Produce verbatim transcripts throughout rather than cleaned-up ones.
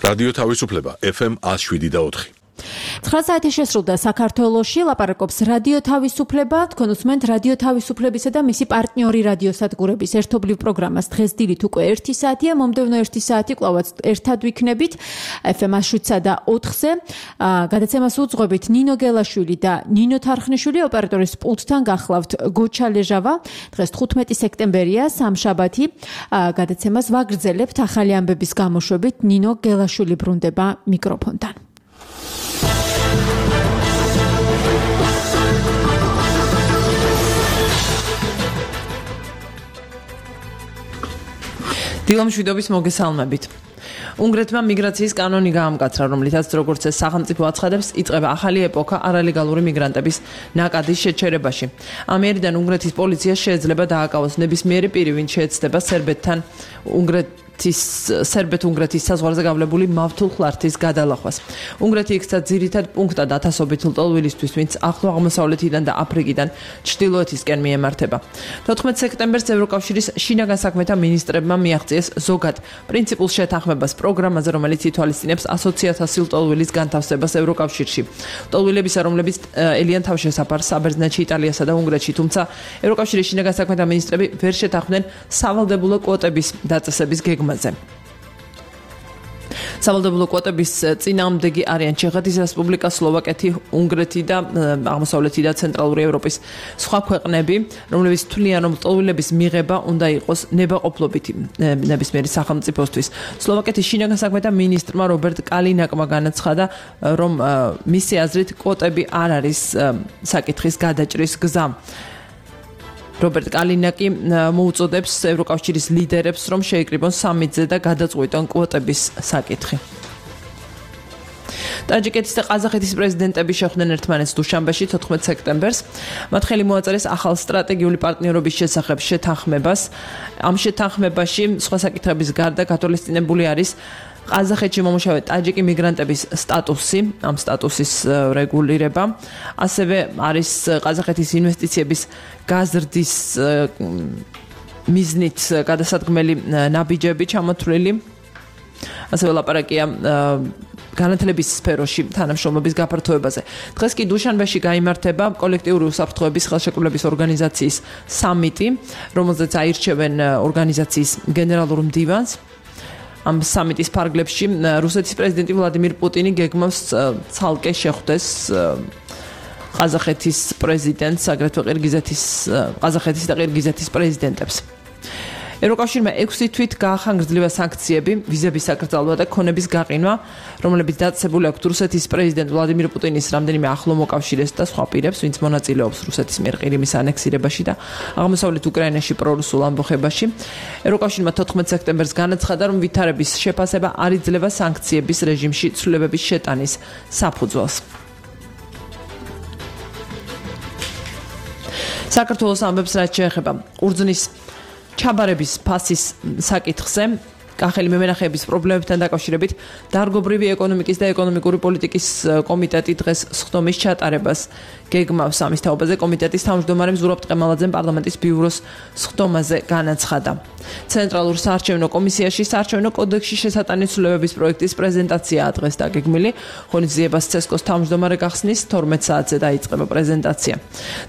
რადიო თავისუფლება ეფ ემ one oh seven და four. ცხრა საათი შესრულდა საქართველოში, ლაპარაკობს რადიო თავისუფლება, თქვენ უსმენთ რადიო თავისუფლებისა და მისი პარტნიორი რადიოსადგურების ერთობლივ პროგრამას. დღეს დილით უკვე ერთი საათია, მომდევნო ერთი საათი კვლავაც ერთად ვიქნებით ეფ ემ one oh seven და four-ზე. გადაცემას უძღვებით ნინო გელაშვილი და ნინო თარხნიშვილი, ოპერატორის პულტთან გახლავთ გოჩა ლეჟავა. დღეს თხუთმეტი სექტემბერია, სამშაბათი. გადაცემას ვაგრძელებთ ახალი ამბების გამოშვებით. ნინო გელაშვილი ბრუნდება მიკროფონთან. დილამშვიდობის მოგესალმებით. უნგრეთმა მიგრაციის კანონი გაამკაცრა, რომლითაც როგორც ეს სახელმწიფო აცხადებს, იწყება ახალი ეპოქა არალეგალური მიგრანტების ნაკადის შეჩერებაში. ამიერიდან უნგრეთის პოლიცია შეიძლება დააკავოს ნებისმიერი პირი, ვინც შეეცდება სერბეთთან უნგრეთის სერბეთ-უნგრეთის საზღვარზე გავლებული მავთულ ხლართის გადალახვას. უნგრეთი იქცა ძირითად პუნქტად ათასობით ლტოლვილისთვის, ვინც ახლო აღმოსავლეთიდან და აფრიკიდან ჩრდილოეთისკენ მიემართება. თოთხმეტ სექტემბერს ევროკავშირის შინაგან საქმეთა მინისტრებმა მიაღწიეს ზოგად პრინციპულ შეთანხმებას პროგრამაზე, რომელიც ითვალისწინებს ასოცი ათასი ლტოლვილის განთავსებას ევროკავშირში. ლტოლვილებისა, რომლებიც ელიან თავშესაფარს საბერძნეთში, იტალიასა და უნგრეთში, თუმცა ევროკავშირის შინაგან საქმეთა მინისტრები ვერ შეთანხმდნენ სავალდებულო კვოტების დაწესების გეგმაზე. სავალდებულო კვოტების წინააღმდეგი არიან ჩეხეთის რესპუბლიკა, სლოვაკეთი, უნგრეთი და აღმოსავლეთი და ცენტრალური ევროპის სხვა ქვეყნები, რომლებიც თვლიან, რომ ლტოლვილების მიღება უნდა იყოს ნებაყოფლობითი ნებისმიერი სახელმწიფოსთვის. სლოვაკეთის შინაგან საქმეთა მინისტრმა რობერტ კალინაკმა განაცხადა, რომ მისი აზრით კვოტები არ არის საკითხის გადაჭრის გზა. რობერტ კალინაკი მოუწოდებს ევროკავშირის ლიდერებს, რომ შეიკრიბონ სამიტზე და გადაწყვიტონ კვოტების საკითხი. ტაჯიკეთის და ყაზახეთის პრეზიდენტები შეხვდნენ ერთმანეთს დუშანბეში თოთხმეტ სექტემბერს. მათ ხელი მოაწერეს ახალ სტრატეგიული პარტნიორობის შესახებ შეთანხმებას. ამ შეთანხმებაში სხვა საკითხების გარდა გათვალისწინებული არის ყაზახეთში მომუშავე ტაჯიკი მიგრანტების სტატუსი, ამ სტატუსის რეგულირება, ასევე არის ყაზახეთის ინვესტიციების გაზრდის მიზნით გადასადგმელი ნაბიჯები ჩამოთვლილი. ასევე ლაპარაკია განათლების სფეროში თანამშრომლობის გაფართოებაზე. დღეს კი დუშანბეში გაიმართება კოლექტიური უსაფრთხოების ხელშეკრულების ორგანიზაციის სამიტი, რომელზეც აირჩევენ ორგანიზაციის გენერალურ მდივანს. ამ სამიტის ფარგლებში რუსეთის პრეზიდენტი ვლადიმირ პუტინი გეგმავს ცალკე შეხვდეს ყაზახეთის პრეზიდენტს, აგრეთვე ყირგიზეთის ყაზახეთის და ყირგიზეთის პრეზიდენტებს. ევროკავშირმა ექვსი თვით გაახანგრძლива სანქციები, ვიზების საკრძალვა და ქონების გაყინვა, რომლებიც დაწესებული აქვს რუსეთის პრეზიდენტ ვლადიმირ პუტინის რამდენიმე ახლო მოკავშირეს და სხვა პირებს, ვინც მონაწილეობს რუსეთის მიერ ყირიმის ანექსირებაში და აღმოსავლეთ უკრაინაში პრორუსულ ამბოხებაში. ევროკავშირმა თოთხმეტ სექტემბერს განაცხადა, რომ ვითარების შეფასება არ იძლევა სანქციების რეჟიმში ცვლილებების შეტანის საფუძველს. საქართველოს ამბებს რაც შეეხება ყურძნის ჩაბარების ფასის საკითხზე, კახელი მემენახეების პრობლემებთან დაკავშირებით დარგობრივი ეკონომიკის და ეკონომიკური პოლიტიკის კომიტეტი დღეს სხდომის ჩატარებას გეგმავს. ამის თაობაზე კომიტეტის თავმჯდომარე ზურაბ ტყემალაძემ პარლამენტის ბიუროს სხდომაზე განაცხადა. ცენტრალურ საარჩევნო კომისიაში საარჩევნო კოდექსში შესატანი ცვლილებების პროექტის პრეზენტაციაა დღეს დაგეგმილი. ღონისძიებას ცესკოს თავმჯდომარე გახსნის თორმეტ საათზე დაიწყება პრეზენტაცია.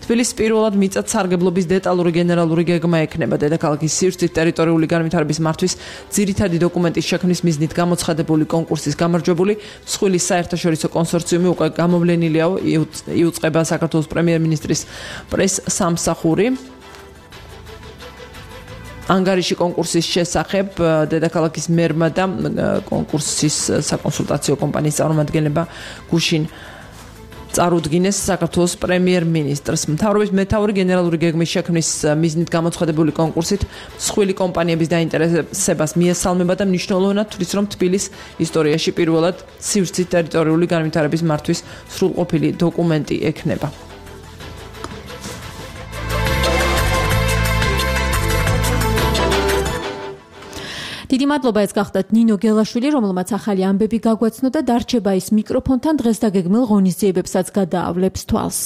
თბილისის პირველად მიწათ სარგებლობის დეტალური გენერალური გეგმა ექნება დედაქალაქის სივრცით ტერიტორიული განვითარების მართვის ძირითადი დოკუმენტის შექმნის მიზნით გამოცხადებული კონკურსის გამარჯვებული მსხვილის საერთაშორისო კონსორციუმი უკვე გამოვლენილია, იუწყება საქართველოს პრემიერ-მინისტრის პრეს-სამსახური. ანგარიში კონკურსის შესახებ დედაქალაქის მერმა და კონკურსის საკონსულტაციო კომპანიის წარმომადგენლება გუშინ წარუდგინეს საქართველოს პრემიერ-მინისტრს. მთავრობის მეთაური გენერალური გეგმის შექმნის მიზნით გამოცხადებული კონკურსით მსხვილი კომპანიების დაინტერესებას მიესალმება და მნიშვნელოვნად თვლის, რომ თბილისის ისტორიაში პირველად სივრცით ტერიტორიული განვითარების მართვის სრულყოფილი დოკუმენტი ექნება. დიდი მადლობა, ეს გახდათ ნინო გელაშვილი, რომელმაც ახალი ამბები გაგვაცნო და დარჩება ის მიკროფონთან დღეს დაგეგმილ ღონისძიებებსაც გადაავლებს თვალს.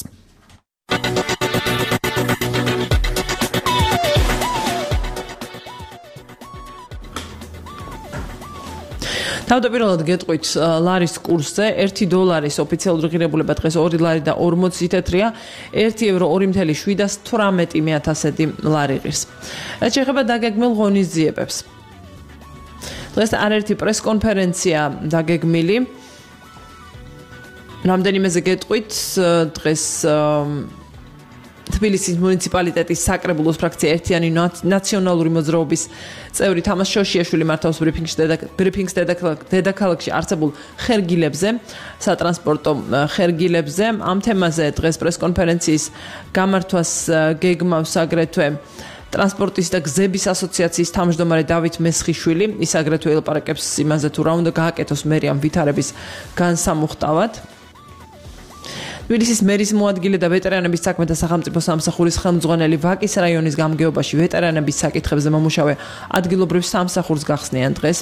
თავდაპირველად გეტყვით ლარის კურსზე ერთი დოლარის ოფიციალური ღირებულება დღეს ორი ლარი და ორმოცი თეთრია, ერთი ევრო ორი ათეული შვიდასთვრამეტი მეათასედი ლარი ღირს. რაც შეეხება დაგეგმილ ღონისძიებებს. დღეს არაერთი პრესკონფერენცია დაგეგმილი. რამდენიმეზე გეტყვით დღეს თბილისის მუნიციპალიტეტის საკრებულოს ფრაქცია ერთიანი ნაციონალური მოძრაობის წევრი თამაზ შოშიაშვილი მართავს ბრიფინგს ბრიფინგს დედაქალაქში არსებულ ხერგილებზე, სატრანსპორტო ხერგილებზე. ამ თემაზე დღეს პრესკონფერენციის გამართვას გეგმავს აგრეთვე ტრანსპორტის და გზების ასოციაციის თავმჯდომარე დავით მესხიშვილი. ის აგრეთვე ელაპარაკებს იმაზე თუ რა უნდა გააკეთოს მერიამ ვითარების განსამუხტავად. თბილისის მერის მოადგილე და ვეტერანების საქმეთა სახელმწიფო სამსახურის ხელმძღვანელი ვაკის რაიონის გამგეობაში ვეტერანების საკითხებზე მომუშავე ადგილობრივ სამსახურს გახსნიან დღეს.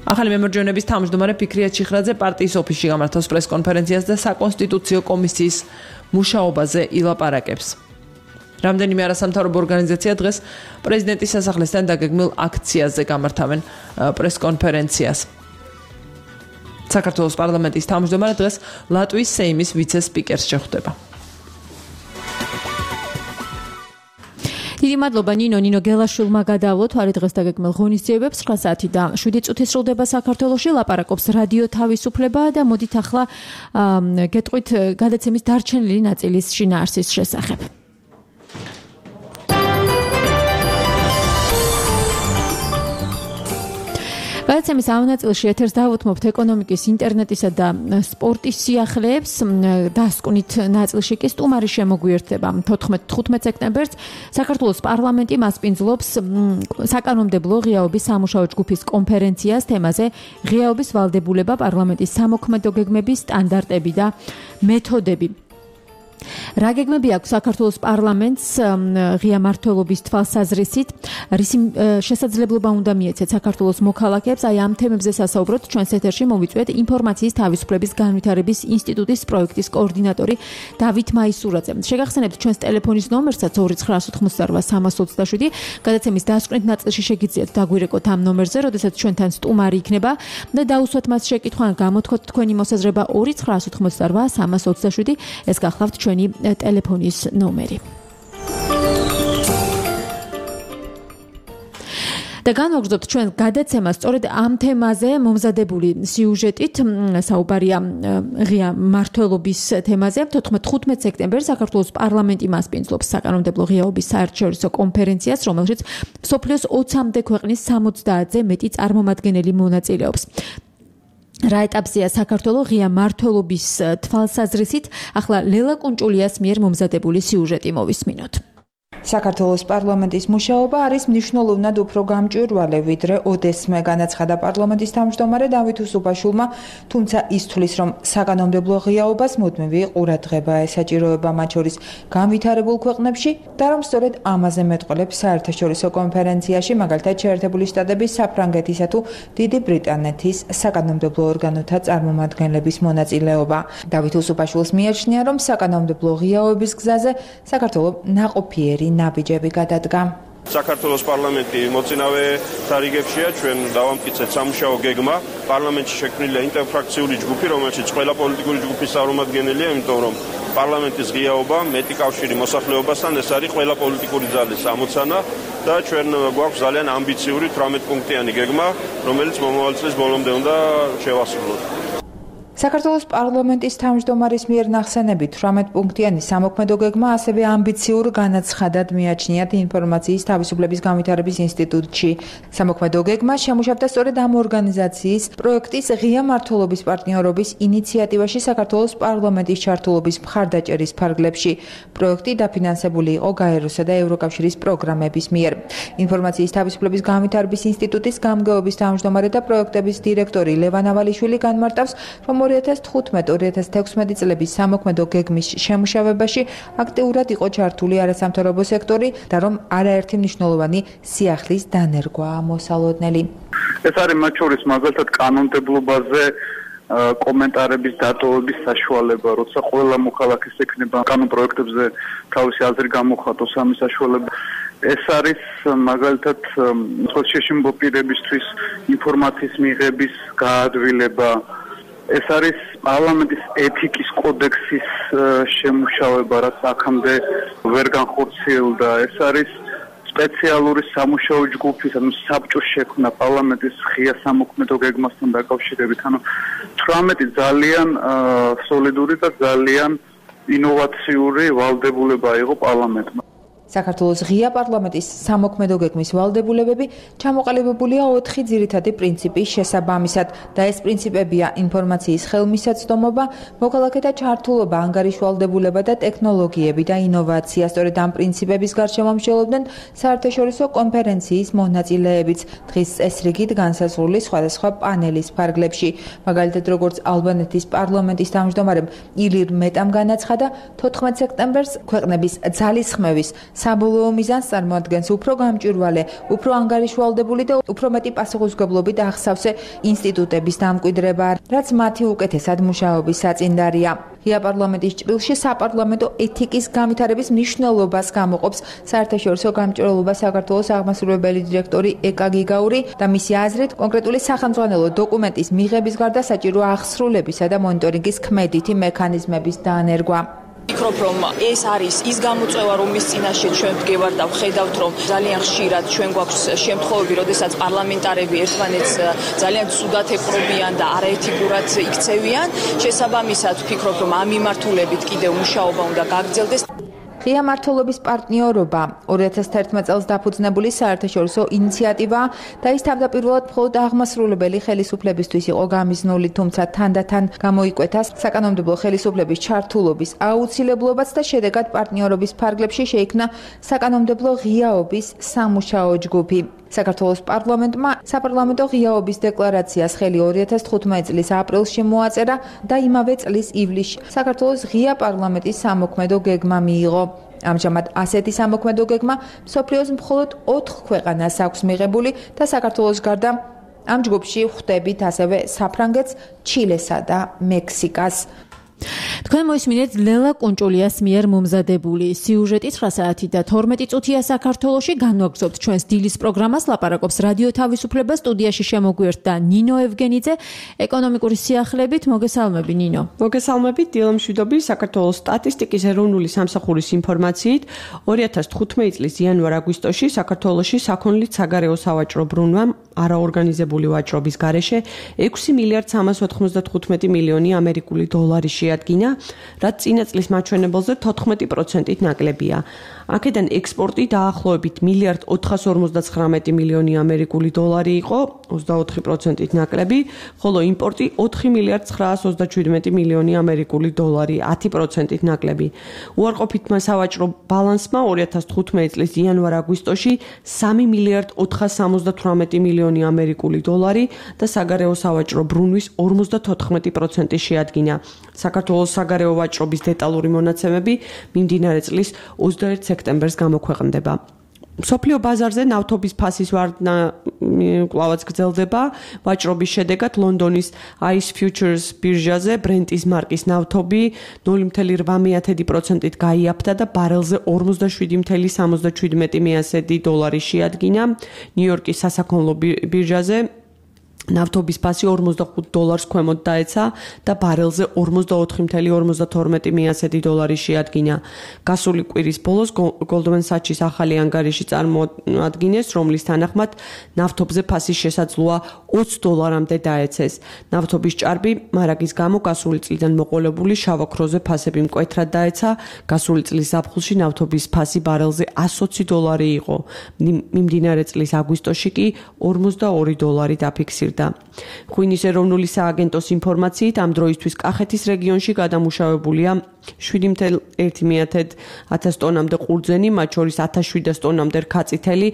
ახალი მემორჯენების თავმჯდომარე ფიქრია ჩიხრაძე პარტიის ოფისში გამართავს პრესკონფერენციას და საკონსტიტუციო კომისიის მუშაობაზე ილაპარაკებს. რამდენიმე არასამთავრობო ორგანიზაცია დღეს პრეზიდენტის სასახლესთან დაგეგმილ აქციაზე გამართავენ პრესკონფერენციას. საქართველოს პარლამენტის თავმჯდომარე დღეს ლატვიის სეიმის ვიცე-სპიკერს შეხვდება. დიდი მადლობა ნინო ნინო გელაშვილმა გადავლოთ არის დღეს დაგეგმილ ღონისძიებებს ცხრა საათი და შვიდი წუთი სრულდება საქართველოში ლაპარაკობს რადიო თავისუფლება და მოდით ახლა გეტყვით გადაცემის დარჩენილი ნაწილის შინაარსის შესახებ. გადაცემის ამ ნაწილში ეთერს დავუთმობთ ეკონომიკის, ინტერნეტისა და სპორტის სიახლეებს. დასკვნით ნაწილში კი სტუმარი შემოგვიერთდება. თოთხმეტ სექტემბერს საქართველოს პარლამენტი მასპინძლობს საკანონმდებლო ღიაობის სამუშაო ჯგუფის კონფერენციას თემაზე ღიაობის ვალდებულება, პარლამენტის სამოქმედო გეგმების სტანდარტები და მეთოდები. რა გეგმები აქვს საქართველოს პარლამენტს ღია მმართველობის თვალსაზრისით, რისი შესაძლებლობა უნდა მიეცეთ საქართველოს მოქალაქეებს, აი ამ თემებზე სასაუბროთ ჩვენს ეთერში მოვიწვიეთ ინფორმაციის თავისუფლების განვითარების ინსტიტუტის პროექტის კოორდინატორი დავით მაისურაძე. შეგახსენებთ ჩვენს ტელეფონის ნომერსაც ორი ცხრა ოცდაოთხმოცდარვა სამას ოცდაშვიდი. გადაცემის დასკვნით ნაწილში შეგიძლიათ დაგვირეკოთ ამ ნომერზე, როდესაც ჩვენთან სტუმარი იქნება და დაუსვათ მას შეკითხვა, გამოთქვათ თქვენი მოსაზრება ორი ცხრა ოცდაოთხმოცდარვა სამას ოცდაშვიდი. ეს გახლავთ ჩვენი ტელეფონის ნომერი. და განვაგრძობთ ჩვენ გადაცემას სწორედ ამ თემაზე მომზადებული სიუჟეტით. საუბარია ღია მმართველობის თემაზე. თოთხმეტ სექტემბერს საქართველოს პარლამენტი მასპინძლობს საკანონმდებლო ღიაობის საერთაშორისო კონფერენციას, რომელშიც მსოფლიოს ოცამდე ქვეყნის სამოცდაათზე მეტი წარმომადგენელი მონაწილეობს. რა ეტაპზეა საქართველოს ღია მმართველობის თვალსაზრისით? ახლა ლელა კუნჭულიას მიერ მომზადებული სიუჟეტი მოვისმინოთ. საქართველოს პარლამენტის მუშაობა არის მნიშვნელოვნად უფრო გამჭვირვალე ვიდრე ოდესმე, განაცხადა პარლამენტის თავმჯდომარე დავით უსუბაშვილმა, თუმცა ის თვლის, რომ საკანონმდებლო ღიაობას მუდმივი ყურადღება ესაჭიროება მათ შორის განვითარებულ ქვეყნებში და რომ სწორედ ამაზე მეტყველებს საერთაშორისო კონფერენციაში, მაგალითად შეერთებული შტატების, საფრანგეთისა თუ დიდი ბრიტანეთის საკანონმდებლო ორგანოთა წარმომადგენლების მონაწილეობა. დავით უსუბაშვილს მიაჩნია, რომ საკანონმდებლო ღიაობის გზაზე საქართველოს ნაყოფიერი ნაბიჯები გადადგა. საქართველოს პარლამენტი მოწინავე თარიგებშია, ჩვენ დავამტკიცეთ სამუშაო გეგმა. პარლამენტში შექმნილია ინტერფრაქციული ჯგუფი, რომელშიც ყველა პოლიტიკური ჯგუფის წარმომადგენელია, იმიტომ რომ პარლამენტის ღიაობა მეტი კავშირი მოსახლეობასთან, ეს არის ყველა პოლიტიკური ძალის ამოცანა და ჩვენ გვაქვს ძალიან ამბიციური თვრამეტ პუნქტიანი გეგმა, რომელიც მომავალ წლის ბოლომდე უნდა შევასრულოთ. საქართველოს პარლამენტის თავმჯდომარის მიერ ნახსენები თვრამეტ პუნქტიანი სამოქმედო გეგმა ასევე ამბიციურ განაცხადად მიაჩნიათ ინფორმაციის თავისუფლების განვითარების ინსტიტუტში. სამოქმედო გეგმა შემუშავდა სწორედ ამ ორგანიზაციის პროექტის ღია მმართველობის პარტნიორობის ინიციატივაში საქართველოს პარლამენტის ჩართულობის მხარდაჭერის ფარგლებში. პროექტი დაფინანსებული იყო გაეროსა და ევროკავშირის პროგრამების მიერ. ინფორმაციის თავისუფლების განვითარების ინსტიტუტის გამგეობის თავმჯდომარე და პროექტების დირექტორი ლევან ავალიშვილი განმარტავს, რომ ორი ათას თხუთმეტ ორი ათას თექვსმეტი წლების სამოქმედო გეგმის შემუშავებაში აქტიურად იყო ჩართული არასამთავრობო სექტორი და რომ არაერთი მნიშვნელოვანი სიახლის დანერგვაა მოსალოდნელი. ეს არის მათ შორის მაგალითად კანონმდებლობაზე კომენტარების დატოვების საშუალება, როცა ყველა მოქალაქეს ექნება კანონ პროექტებზე თავისი აზრი გამოხატოს, ამის საშუალება ეს არის მაგალითად ხელშეშინებო პირებისთვის ინფორმაციის მიღების გაადვილება. ეს არის პარლამენტის ეთიკის კოდექსის შემუშავება, რაც აქამდე ვერ განხორციელდა. ეს არის სპეციალური სამუშაო ჯგუფის, ანუ საბჭოს შექმნა პარლამენტის ღია სამოქმედო გეგმასთან დაკავშირებით. ანუ თვრამეტი ძალიან სოლიდური და ძალიან ინოვაციური ვალდებულება იყო პარლამენტმა. საქართველოს ღია პარლამენტის სამოქმედო გეგმის ვალდებულებები ჩამოყალიბებულია ოთხი ძირითადი პრინციპის შესაბამისად და ეს პრინციპებია ინფორმაციის ხელმისაწვდომობა, მოქალაქეთა ჩართულობა, ანგარიშვალდებულება და ტექნოლოგიები და ინოვაცია. სწორედ ამ პრინციპების გარშემო მსჯელობდნენ საერთაშორისო კონფერენციის მონაწილეებიც დღის წესრიგით განსაზღვრული სხვადასხვა პანელის ფარგლებში. მაგალითად, როგორც ალბანეთის პარლამენტის თავმჯდომარემ ილირ მეტამ განაცხადა, თოთხმეტ სექტემბერს ქვეყნების ძალისხმევის საბოლოო მიზანს წარმოადგენს უფრო გამჭვირვალე, უფრო ანგარიშვალდებული და უფრო მეტი პასუხისმგებლობით ახსავსე ინსტიტუტების დამკვიდრება, რაც მათი უკეთესად მუშაობის საწინდარია. ღია პარლამენტის ჭრილში საპარლამენტო ეთიკის განვითარების მნიშვნელობას გამოყოფს საერთაშორისო გამჭვირვალობა საქართველოს აღმასრულებელი დირექტორი ეკა გიგაური და მისი აზრით კონკრეტული სახელმძღვანელო დოკუმენტის მიღების გარდა საჭირო აღსრულებისა და მონიტორინგის ქმედითი მექანიზმების დანერგვა. ვფიქრობ, რომ ეს არის ის გამოწვევა, რომლის წინაშე ჩვენ ვდგევართ და ვხედავთ, რომ ძალიან ხშირად ჩვენ გვაქვს შემთხვევები, როდესაც პარლამენტარები ერთმანეთს ძალიან ცუდად ეპყრობიან და არაეთიკურად იქცევიან. შესაბამისად, ვფიქრობ, რომ ამ მიმართულებით კიდევ მუშაობა უნდა გაგრძელდეს. ღია მმართველობის პარტნიორობა ორი ათას თერთმეტ წელს დაფუძნებული საერთაშორისო ინიციატივაა და ის თავდაპირველად მხოლოდ აღმასრულებელი ხელისუფლებისთვის იყო გამიზნული, თუმცა თანდათან გამოიკვეთა საკანონმდებლო ხელისუფლების ჩართულობის აუცილებლობაც და შედეგად პარტნიორობის ფარგლებში შეიქმნა საკანონმდებლო ღიაობის სამუშაო ჯგუფი. საქართველოს პარლამენტმა საპარლამენტო ღიაობის დეკლარაციას ხელი ორი ათას თხუთმეტი წლის აპრილში მოაწერა და იმავე წლის ივლისში საქართველოს ღია პარლამენტის სამოქმედო გეგმა მიიღო. ამჟამად ასეთი სამოქმედო გეგმა მსოფლიოს მხოლოდ ოთხ ქვეყანას აქვს მიღებული და საქართველოს გარდა ამ ჯგუფში ხვდებით ასევე საფრანგეთს, ჩილესა და მექსიკას. თქვენ მოისმინეთ ლელა კუნჭულიას მიერ მომზადებული სიუჟეტი ცხრა საათი და თორმეტი წუთია საქართველოში. განვაგრძობთ ჩვენს დილის პროგრამას. ლაპარაკობს რადიო თავისუფლება, სტუდიაში შემოგვიერთდა ნინო ევგენიძე, ეკონომიკური სიახლეებით. მოგესალმები ნინო. მოგესალმებით დილა მშვიდობი. საქართველოს სტატისტიკის ეროვნული სამსახურის ინფორმაციით ორი ათას თხუთმეტი წლის იანვარ-აგვისტოში საქართველოში საქონლით საგარეო სავაჭრო ბრუნვამ არაორგანიზებული ვაჭრობის გარეშე ექვსი მილიარდ სამას ოთხმოცდათხუთმეტი მილიონი ამერიკული დოლარი შეადგინა, რაც წინა წლის მაჩვენებელზე თოთხმეტი პროცენტით ნაკლებია. აქედან ექსპორტი დაახლოებით მილიარდ ოთხას ორმოცდაცხრამეტი მილიონი ამერიკული დოლარი იყო, ოცდაოთხი პროცენტით ნაკლები, ხოლო იმპორტი ოთხი მილიარდ ცხრაას ოცდაშვიდმეტი მილიონი ამერიკული დოლარი, ათი პროცენტით ნაკლები. უარყოფითმა სავაჭრო ბალანსმა ორი ათას თხუთმეტი წლის იანვარ-აგვისტოში სამი მილიარდ ოთხას სამოცდათვრამეტი მილიონი ამერიკული დოლარი და საგარეო სავაჭრო ბრუნვის ორმოცდათოთხმეტი პროცენტი შეადგინა. საქართველოს საგარეო ვაჭრობის დეტალური მონაცემები მიმდინარე წლის ოცდაერთი სექტემბერს გამოქვეყნდება. მსოფლიო ბაზარზე ნავთობის ფასის ვარდნა კვლავაც გრძელდება. ვაჭრობის შედეგად ლონდონის აის Futures ბირჟაზე ბრენტის მარკის ნავთობი ნული მცდე რვამეათედი პროცენტით გაიაფთა და ბარელზე ორმოცდაშვიდი მცდე სამოცდაშვიდმეტი დოლარი შეადგინა. ნიუ-იორკის სასაქონლო ბირჟაზე ნავთობის ფასი ორმოცდახუთ დოლარს ქვემოთ დაეცა და ბარელზე ორმოცდაოთხი მცდე ორმოცდათორმეტი დოლარი შეადგინა. გასული კვირის ბოლოს Goldman Sachs-ის ახალი ანგარიში წარმოადგინეს, რომლის თანახმად ნავთობზე ფასის შესაძლოა ოცი დოლარამდე დაეცეს. ნავთობის ჭარბი მარაგის გამო გასული წლიდან მოყოლებული შავოქროზე ფასები მკვეთრად დაეცა. გასული წლის ზაფხულში ნავთობის ფასი ბარელზე εκατს ოცი დოლარი იყო. მიმდინარე წლის აგვისტოში კი ორმოცდაორი დოლარი დაფიქსირდა. ღვინის ეროვნული სააგენტოს ინფორმაციით ამ დროისთვის კახეთის რეგიონში გადამუშავებულია შვიდი მცდე ერთი ათას ტონამდე ყურძენი, მათ შორის ათას შვიდას ტონამდე რქაწითელი,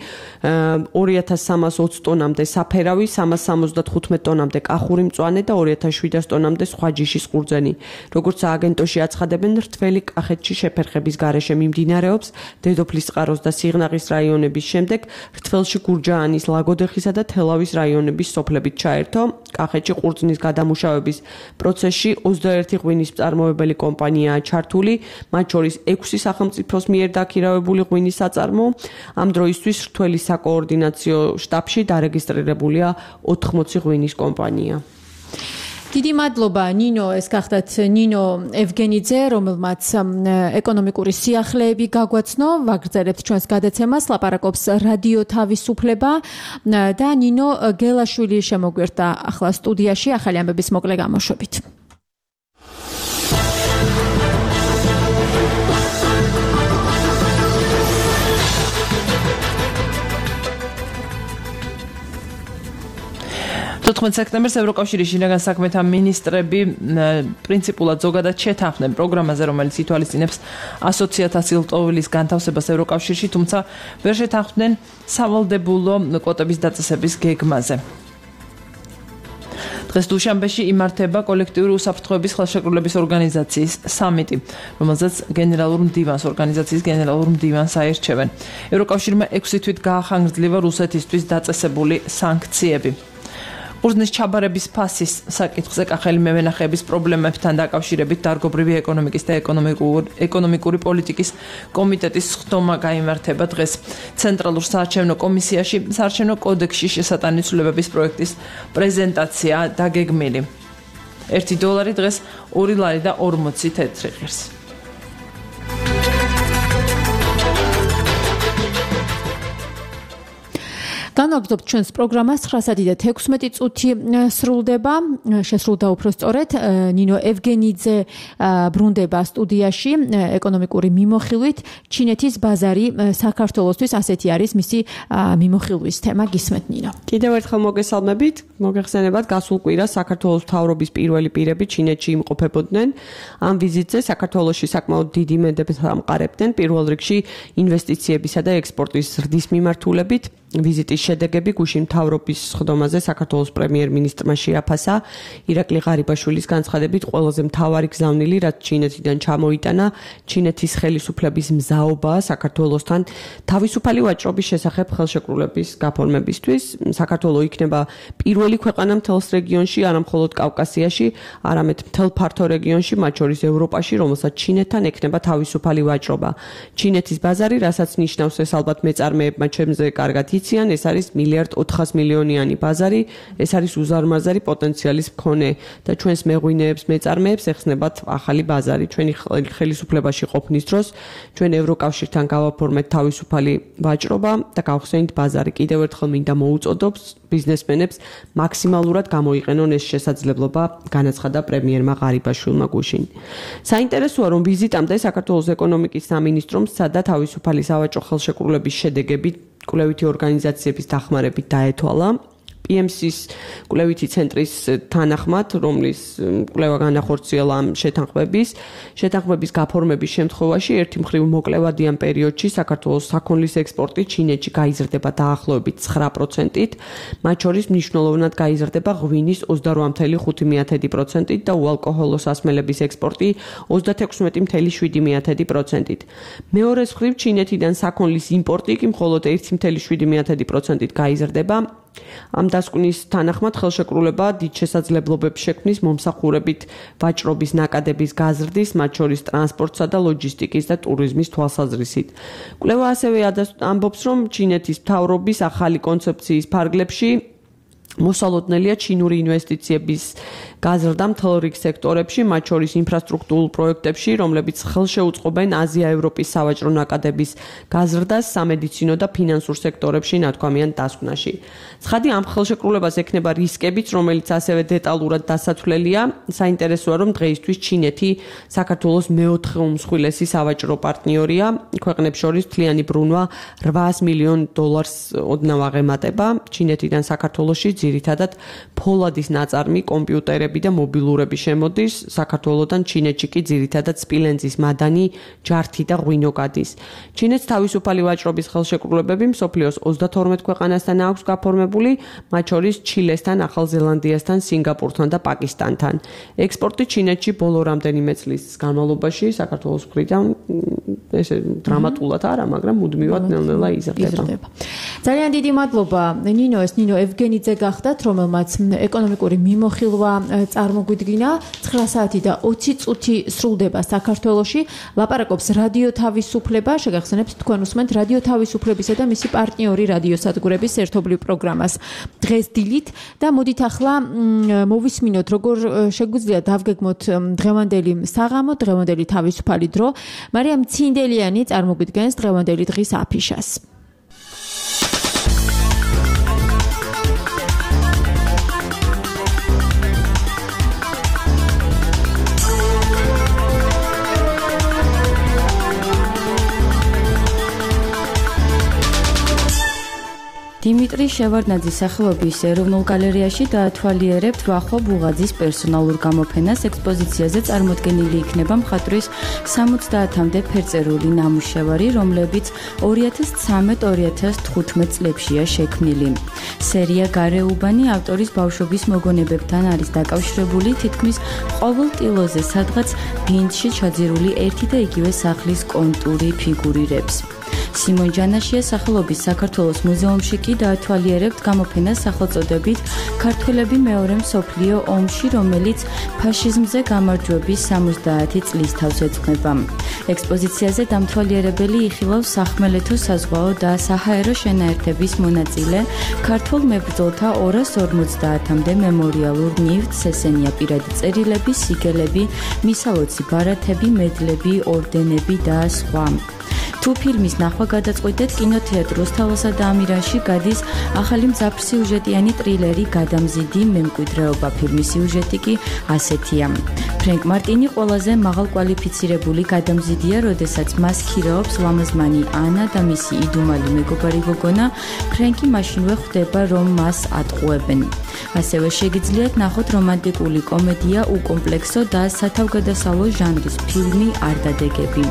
ორი ათას სამას ოცი ტონამდე საფერავი, სამას სამოცდათხუთმეტ ტონამდე კახური მწვანე და ორი ათას შვიდას ტონამდე სხვა ჯიშის ყურძენი. როგორც სააგენტოში აცხადებენ, რთველი კახეთში შეფერხების გარეშე მიმდინარეობს დედოფლისწყაროს და სიღნაღის რაიონების შემდეგ რთველში გურჯაანის, ლაგოდეხისა და თელავის რაიონების სოფლებით ჩაერთო. საერთო კახეთში ყურძნის გადამუშავების პროცესში ოცდაერთი ღვინის მწარმოებელი კომპანიაა ჩართული, მათ შორის ექვსი სახელმწიფოს მიერ დაქირავებული ღვინის საწარმო. ამ დროისთვის რთველი საკოორდინაციო შტაბში დარეგისტრირებულია ოთხმოცი ღვინის კომპანია. დიდი მადლობა ნინო, ეს გახდათ ნინო ევგენიძე, რომელმაც ეკონომიკური სიახლეები გაგვაცნო, ვაგრძელებთ ჩვენს გადაცემას, ლაპარაკობს რადიო თავისუფლება და ნინო გელაშვილი შემოგვერთა ახლა სტუდიაში ახალი ამბების მოკლე გამოშვებით. თოთხმეტ სექტემბერს ევროკავშირის შინაგან საქმეთა მინისტრები პრინციპულად ზოგადად შეთანხმდნენ პროგრამაზე, რომელიც ითვალისწინებს ასოციაციას ლტოვილის განთავსებას ევროკავშირში, თუმცა ვერ შეთანხმდნენ სავალდებულო კვოტების დაწესების გეგმაზე. დღეს დუშანბეში იმართება კოლექტიური უსაფრთხოების ხელშეკრულების ორგანიზაციის სამიტი, რომელზეც გენერალურ მდივანს ორგანიზაციის გენერალურ მდივანს აირჩევენ. ევროკავშირმა ექვსი თვით გაახანგრძლива რუსეთისთვის დაწესებული სანქციები. ყურძნის ჩაბარების ფასის საკითხზე კახელი მევენახეების პრობლემებთან დაკავშირებით დარგობრივი ეკონომიკის და ეკონომიკური პოლიტიკის კომიტეტის სხდომა გაიმართება დღეს ცენტრალურ საარჩევნო კომისიაში საარჩევნო კოდექსში შესატანი ცვლილებების პროექტის პრეზენტაცია დაგეგმილი. ერთი დოლარი დღეს ორი ლარი და ორმოცი თეთრი ღირს. განვაგრძობთ ჩვენს პროგრამას ცხრა საათი და თექვსმეტი წუთი სრულდება, შესრულდა უფრო სწორედ ნინო ევგენიძე ბრუნდება სტუდიაში ეკონომიკური მიმოხილვით. ჩინეთის ბაზარი საქართველოსთვის ასეთი არის მისი მიმოხილვის თემა. გისმენთ ნინო. კიდევ ერთხელ მოგესალმებით, მოგეხსენებათ გასულ კვირას საქართველოს მთავრობის პირველი პირები ჩინეთში იმყოფებოდნენ. ამ ვიზიტზე საქართველოში საკმაოდ დიდი იმედებს ამყარებდნენ, პირველ რიგში ინვესტიციებისა და ექსპორტის ზრდის მიმართულებით. ვიზიტის შედეგები გუშინ მთავრობის სხდომაზე საქართველოს პრემიერ-მინისტრმა შეაფასა. ირაკლი ღარიბაშვილის განცხადებით ყველაზე მთავარი გზავნილი, რაც ჩინეთიდან ჩამოიტანა, ჩინეთის ხელისუფლების მზაობაა საქართველოსთან თავისუფალი ვაჭრობის შესახებ ხელშეკრულების გაფორმებისთვის. საქართველო იქნება პირველი ქვეყანა მთელს რეგიონში, არა მხოლოდ კავკასიაში, არამედ მთელ ფართო რეგიონში, მათ შორის ევროპაში, რომელსაც ჩინეთთან ექნება თავისუფალი ვაჭრობა. ჩინეთის ბაზარი, რასაც ნიშნავს ეს ალბათ მეწარმეებმა ჩემზე კარგად იციან, ეს არის მილიარდ ოთხას მილიონიანი ბაზარი, ეს არის უზარმაზარი პოტენციალის მქონე და ჩვენს მეღვინეებს, მეწარმეებს ეხსნებათ ახალი ბაზარი. ჩვენი ხელისუფლებაში ყოფნის დროს ჩვენ ევროკავშირთან გავაფორმეთ თავისუფალი ვაჭრობა და გავხსენით ბაზარი. კიდევ ერთხელ მინდა მოუწოდოთ ბიზნესმენებს მაქსიმალურად გამოიყენონ ეს შესაძლებლობა, განაცხადა პრემიერმა ღარიბაშვილმა გუშინ. საინტერესოა, რომ ვიზიტამდე საქართველოს ეკონომიკის სამინისტრომ სცადა თავისუფალი სავაჭრო ხელშეკრულების შედეგები კვლევითი ორგანიზაციების დახმარებით დაეთვალა. პი ემ სის კვლევითი ცენტრის თანახმად, რომლის კვლევა განახორციელა ამ შეთანხმების, შეთანხმების გაფორმების შემთხვევაში ერთი მხრივ მოკლევადიან პერიოდში საქართველოს საქონლის ექსპორტი ჩინეთში გაიზრდება დაახლოებით ცხრა პროცენტით, მათ შორის მნიშვნელოვნად გაიზრდება ღვინის ოცდარვა ფاصლე ხუთი პროცენტით და უალკოჰოლო სასმელების ექსპორტი ოცდათექვსმეტი ფاصლე შვიდი პროცენტით. მეორეს მხრივ ჩინეთიდან საქონლის იმპორტი კი მხოლოდ ერთი ფاصლე შვიდი პროცენტით გაიზრდება. ამ დასკვნის თანახმად ხელშეკრულება დიდ შესაძლებლობებს შექმნის მომსახურებით ვაჭრობის ნაკადების გაზრდის, მათ შორის ტრანსპორტსა და ლოჯისტიკის და ტურიზმის თვალსაზრისით. კვლევა ასევე ამბობს, რომ ჩინეთის მთავრობის ახალი კონცეფციის ფარგლებში მოსალოდნელია ჩინური ინვესტიციების გაზრდა მთელ რიგ სექტორებში, მათ შორის ინფრასტრუქტურულ პროექტებში, რომლებიც ხელშეუწყობენ აზია-ევროპის სავაჭრო ნაკადების გაზრდას სამედიცინო და ფინანსურ სექტორებში ნათქვამიან დასკვნაში. ცხადი ამ ხელშეკრულებას ექნება რისკებიც, რომელიც ასევე დეტალურად დასათვლელია. საინტერესოა, რომ დღეისთვის ჩინეთი საქართველოს მეოთხე უმსხვილესი სავაჭრო პარტნიორია. ქვეყნებს შორის მთლიანი ბრუნვა რვაას მილიონ დოლარს ოდნავ აღემატება. ჩინეთიდან საქართველოში ძირითადად ფოლადის ნაწარმი, კომპიუტერები კურიერები და მობილურები შემოდის საქართველოსთან, ჩინეთში კი ძირითადად სპილენძის მადანი, ჯართი და ღვინო გადის. ჩინეთს თავისუფალი ვაჭრობის ხელშეკრულებები მსოფლიოს ოცდათორმეტ ქვეყანასთან აქვს გაფორმებული, მათ შორის ჩილესთან, ახალ ზელანდიასთან, სინგაპურთან და პაკისტანთან. ექსპორტი ჩინეთში ბოლო რამდენიმე წლის განმავლობაში საქართველოს მხრიდან ესე დრამატულად არა, მაგრამ მუდმივად ნელ-ნელა იზრდება. ძალიან დიდი მადლობა ნინო, ეს ნინო ევგენიძე გახდათ, რომელმაც ეკონომიკური მიმოხილვა წარმოგვიდგინა. ცხრა საათი და ოცი წუთი სრულდება საქართველოში. ლაპარაკობს რადიო თავისუფლება, შეგახსენებთ თქვენ უსმენთ რადიო თავისუფლებისა და მისი პარტნიორი რადიოსადგურების ერთობლივ პროგრამას დღეს დილით და მოდით ახლა მოვისმინოთ, როგორ შეგვიძლია დავგეგმოთ დღევანდელი საღამო, დღევანდელი თავისუფალი დრო. მარიამ ცინდელიანი წარმოგვიდგენს დღევანდელი დღის აფიშას. დიმიტრი შევარდნაძის სახელობის ეროვნულ გალერეაში დაათვალიერებთ ვახო ბუღაძის პერსონალურ გამოფენას. ექსპოზიციაზე წარმოდგენილი იქნება მხატვრის სამოცდაათამდე ფერწერული ნამუშევარი, რომლებიც ორი ათას ცხრამეტ ორი ათას თხუთმეტ წლებშია შექმნილი. სერია გარეუბანი ავტორის ბავშვობის მოგონებებთან არის დაკავშირებული, თითქმის ყოველ ტილოზე სადღაც ბინდში ჩაძირული ერთი და იგივე სახლის კონტური ფიგურირებს. სიმონ ჯანაშიას სახელობის საქართველოს მუზეუმში კი დაათვალიერებთ გამოფენას სახელწოდებით ქართველები მეორე მსოფლიო ომში, რომელიც ფაშიზმზე გამარჯვების სამოცდაათი წლის თავს ეძღვნება. ექსპოზიციაზე დამთვალიერებელი იხილავს სახმელეთო საზღვაო და საჰაერო შენაერთების მონაწილე ქართულ მებრძოლთა ორას ორმოცდაათამდე მემორიალურ ნივთს, ესენია პირადი წერილები, სიგელები, მისალოცი ბარათები, მედლები, ორდენები და სხვა. თუ ფილმის ნახვა გადაწყვეტეთ, კინოთეატრ რუსთაველსა და ამირანში გადის ახალი მძაფრსიუჟეტიანი ტრილერი გადამზიდი მემკვიდრეობა. ფილმის სიუჟეტი კი ასეთია. ფრენკ მარტინი ყველაზე მაღალკვალიფიცირებული გადამზიდია, როდესაც მას ქირაობს ლამაზმანი ანა და მისი იდუმალი მეგობარი გოგონა. ფრენკი მაშინვე ხვდება, რომ მას ატყუებენ. ასევე შეგიძლიათ ნახოთ რომანტიკული კომედია უკომპლექსო და სათავგადასავლო ჟანრის ფილმი არდადეგები.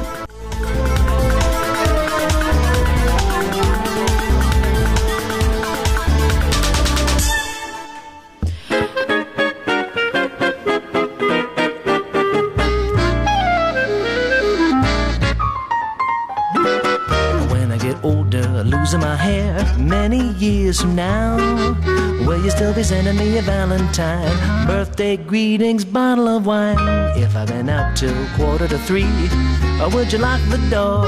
Many years from now, will you still be sending me a valentine, birthday greetings, bottle of wine? If I've been out till quarter to three, or would you lock the door?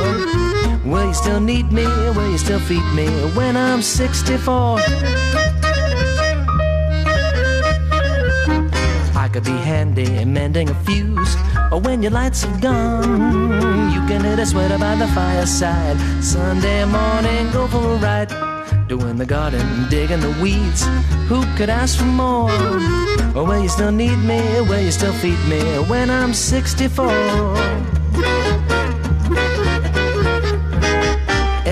Will you still need me? Will you still feed me when I'm sixty-four? I could be handy mending a fuse, or when your lights are gone, you can hit a sweater by the fireside. Sunday morning, go for a ride, doing the garden, digging the weeds. Who could ask for more? Or will you still need me? Will you still feed me when I'm sixty-four?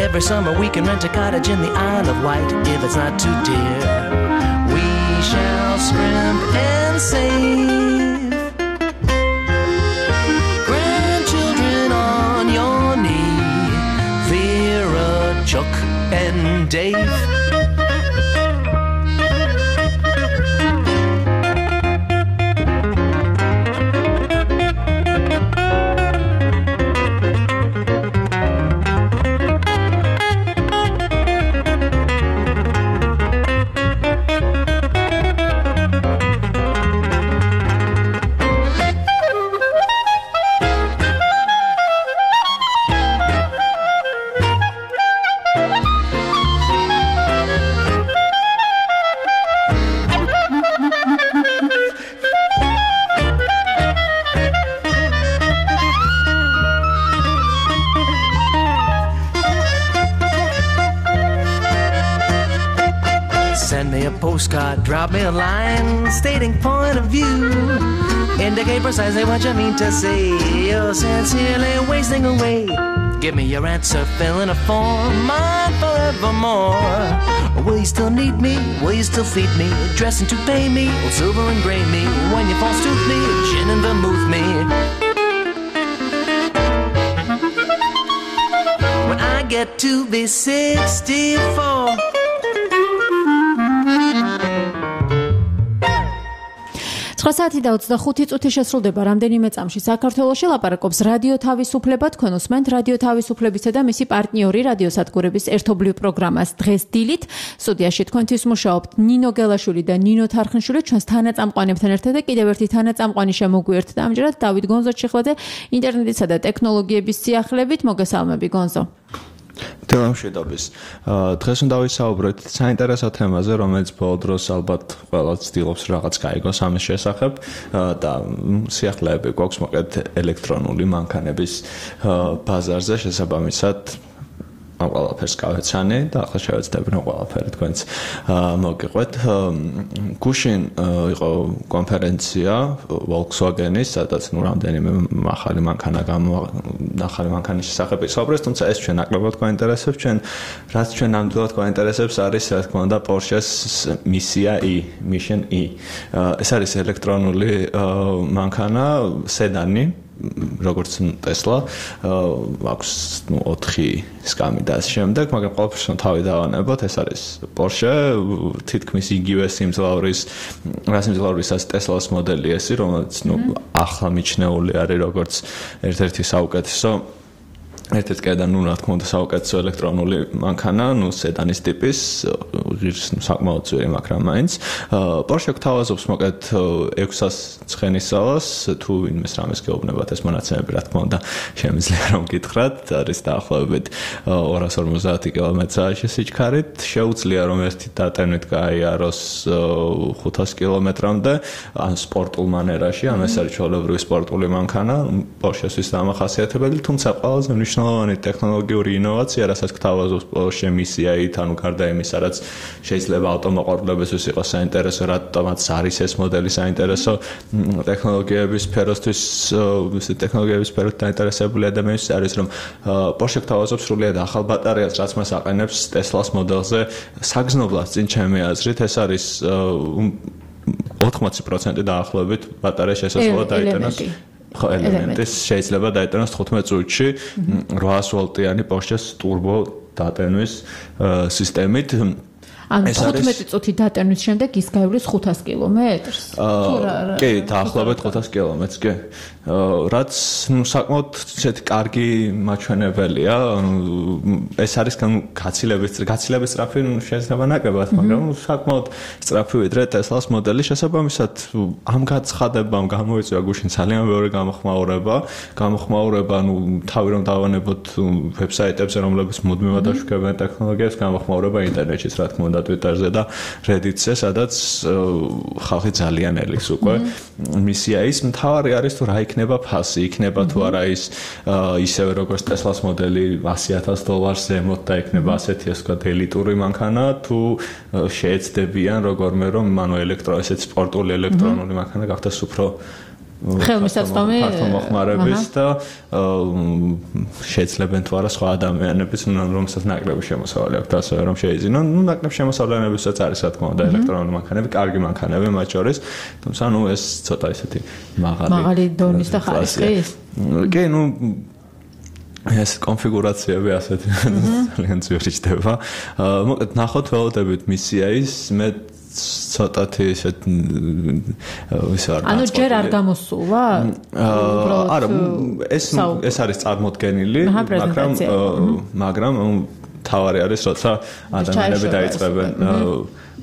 Every summer we can rent a cottage in the Isle of Wight if it's not too dear. We shall scrimp and save. Grandchildren on your knee, Vera, Chuck and Dave. Send me a postcard, drop me a line, stating point of view. Indicate precisely what you mean to say. You're sincerely wasting away Give me your answer, fill in a form, mine forevermore. Will you still need me? Will you still feed me? Dressing to pay me, or silver and gray me? When you false tooth me, gin and vermouth me. When I get to be sixty-four. ცხრა საათი და ოცდახუთი წუთი შესრულდება რამდენიმე წამში საქართველოში ლაპარაკობს რადიო თავისუფლება თქვენ უსმენთ რადიო თავისუფლებისა და მისი პარტნიორი რადიოსადგურების ერთობლივ პროგრამას დღეს დილით სტუდიაში თქვენთვის მუშაობთ ნინო გელაშვილი და ნინო თარხნიშვილი ჩვენს თანაწამყვანებთან ერთად და კიდევ ერთი თანაწამყვანი შემოგვიერთდა ამჯერად დავით გონზო-ჩიხლაძე ინტერნეტისა და ტექნოლოგიების სიახლებით მოგესალმები გონზო თელამშვიდობის. დღეს უნდა ვისაუბროთ საინტერესო თემაზე, რომელიც ბოლო დროს ალბათ ყველა ცდილობს რაღაც გაიგოს ამის შესახებ და სიახლეები გვაქვს მოკლედ ელექტრონული მანქანების ბაზარზე შესაბამისად ამ ყველაფერს გავეცანი და ახლა შევეცდები რომ ყველაფერი თქვენც მოგიყვეთ. გუშინ იყო კონფერენცია Volkswagen-ის, სადაც ნუ რამდენიმე ახალი მანქანა ახალი მანქანის შესახებ ისაუბრეს, თუმცა ეს ჩვენ ნაკლებად გვაინტერესებს, ჩვენ რაც ჩვენ ნამდვილად გვაინტერესებს არის რა თქმა უნდა Porsche-ს Misia E, Mission E. ეს არის ელექტრონული მანქანა, სედანი როგორც Tesla აქვს ნუ ოთხი სკამი და ამ შემდეგ, მაგრამ ყოველთვის თავი დავანებოთ, ეს არის Porsche, თითქმის იგივე სიმძლავრის, რა სიმძლავრისაც Tesla-ს მოდელი ესი, რომელიც ნუ ახლა მიჩნეული არის როგორც ერთ-ერთი საუკეთესო ერთ-ერთი კედა ნუ რა თქმა უნდა საუკეთესო ელექტრონული მანქანა, ნუ სედანის ტიპის, ღირს საკმაოდ ძვირი, მაგრამ მაინც. Porsche გვთავაზობს მოკლედ ექვსას ცხენისწავას, თუ ვინმეს რამეს გეუბნებათ ეს მონაცემები, რა თქმა უნდა, შემიძლია რომ გითხრათ, არის დაახლოებით ორას ორმოცდაათი კილომეტრ-საათში სიჩქარით, შეუძლია რომ ერთი დატენით გაიაროს ხუთას კილომეტრამდე, ან სპორტულ მანერაში, ან ეს არის ჩვეულებრივი სპორტული მანქანა, Porsche-ს დამახასიათებელი, თუმცა ყველაზე მნიშვნელოვანი ტექნოლოგიური ინოვაცია, რასაც გვთავაზობს Porsche Misia E, ანუ გარდა იმისა, რაც შეიძლება ავტომოყვარულებისთვის იყოს საინტერესო, რატომაც არის ეს მოდელი საინტერესო ტექნოლოგიების სფეროსთვის, ტექნოლოგიების სფეროთ დაინტერესებული ადამიანის არის, რომ Porsche გვთავაზობს სრულიად ახალ ბატარეას, რაც მას აყენებს Tesla-ს მოდელზე საგრძნობლად წინ ჩემი აზრით, ეს არის ოთხმოცი პროცენტი დაახლოებით ბატარეა შესაძლოა დაიტანოს ხო ელემენტის შეიძლება დაიტანოს თხუთმეტ წუთში რვაას ვოლტიანი Porsche-ს ტურბო დატენვის სისტემით. ანუ თხუთმეტი წუთი დატენვის შემდეგ ის გაივლის ხუთას კილომეტრს? კი, დაახლოებით ხუთას კილომეტრს, კი. რაც ნუ საკმაოდ ისეთი კარგი მაჩვენებელია, ეს არის გაცილების გაცილების სწრაფი შეიძლება ნაკლებად, მაგრამ საკმაოდ სწრაფი ვიდრე Tesla-ს მოდელი, შესაბამისად ამ გაცხადებამ გამოიწვია გუშინ ძალიან ბევრი გამოხმაურება, გამოხმაურება, ნუ თავი რომ დავანებოთ ვებსაიტებზე, რომლებიც მუდმივად აშუქებენ ტექნოლოგიას, გამოხმაურება ინტერნეტშიც, რა თქმა უნდა, Twitter-ზე და Reddit-ზე, სადაც ხალხი ძალიან ელის უკვე Misia E-ს, მთავარი არის თუ რა იქნება ფასი, იქნება თუ არა ის ისევე როგორც Tesla-ს მოდელი ასი ათას დოლარს ზემოთ და იქნება ასეთი ასე ვთქვათ ელიტური მანქანა, თუ შეეცდებიან რომელმე რომ ანუ ელექტრო ესეთ სპორტული ელექტრონული მანქანა გახდეს უფრო ხელმისაწვდომი მოხმარების და შეეძლებენ თუ არა სხვა ადამიანების, რომელსაც ნაკლები შემოსავალი აქვს ასე რომ შეიძინონ. ნუ ნაკლებ შემოსავლიანებისაც არის რა თქმა უნდა ელექტრონული მანქანები, კარგი მანქანები მათ შორის, თუმცა ნუ ეს ცოტა ისეთი მაღალი მაღალი დონის და ხარისხის. კი, ნუ ეს კონფიგურაციები ასეთი ძალიან ძვირი ჩდება. მოკლედ ნახოთ ველოდებით Misia E-ს, მე ცოტათი ისეთ ისე არ ანუ ჯერ არ გამოსულა? არა, ეს ეს არის წარმოდგენილი, მაგრამ მაგრამ თავარი არის, როცა ადამიანები დაიწყებენ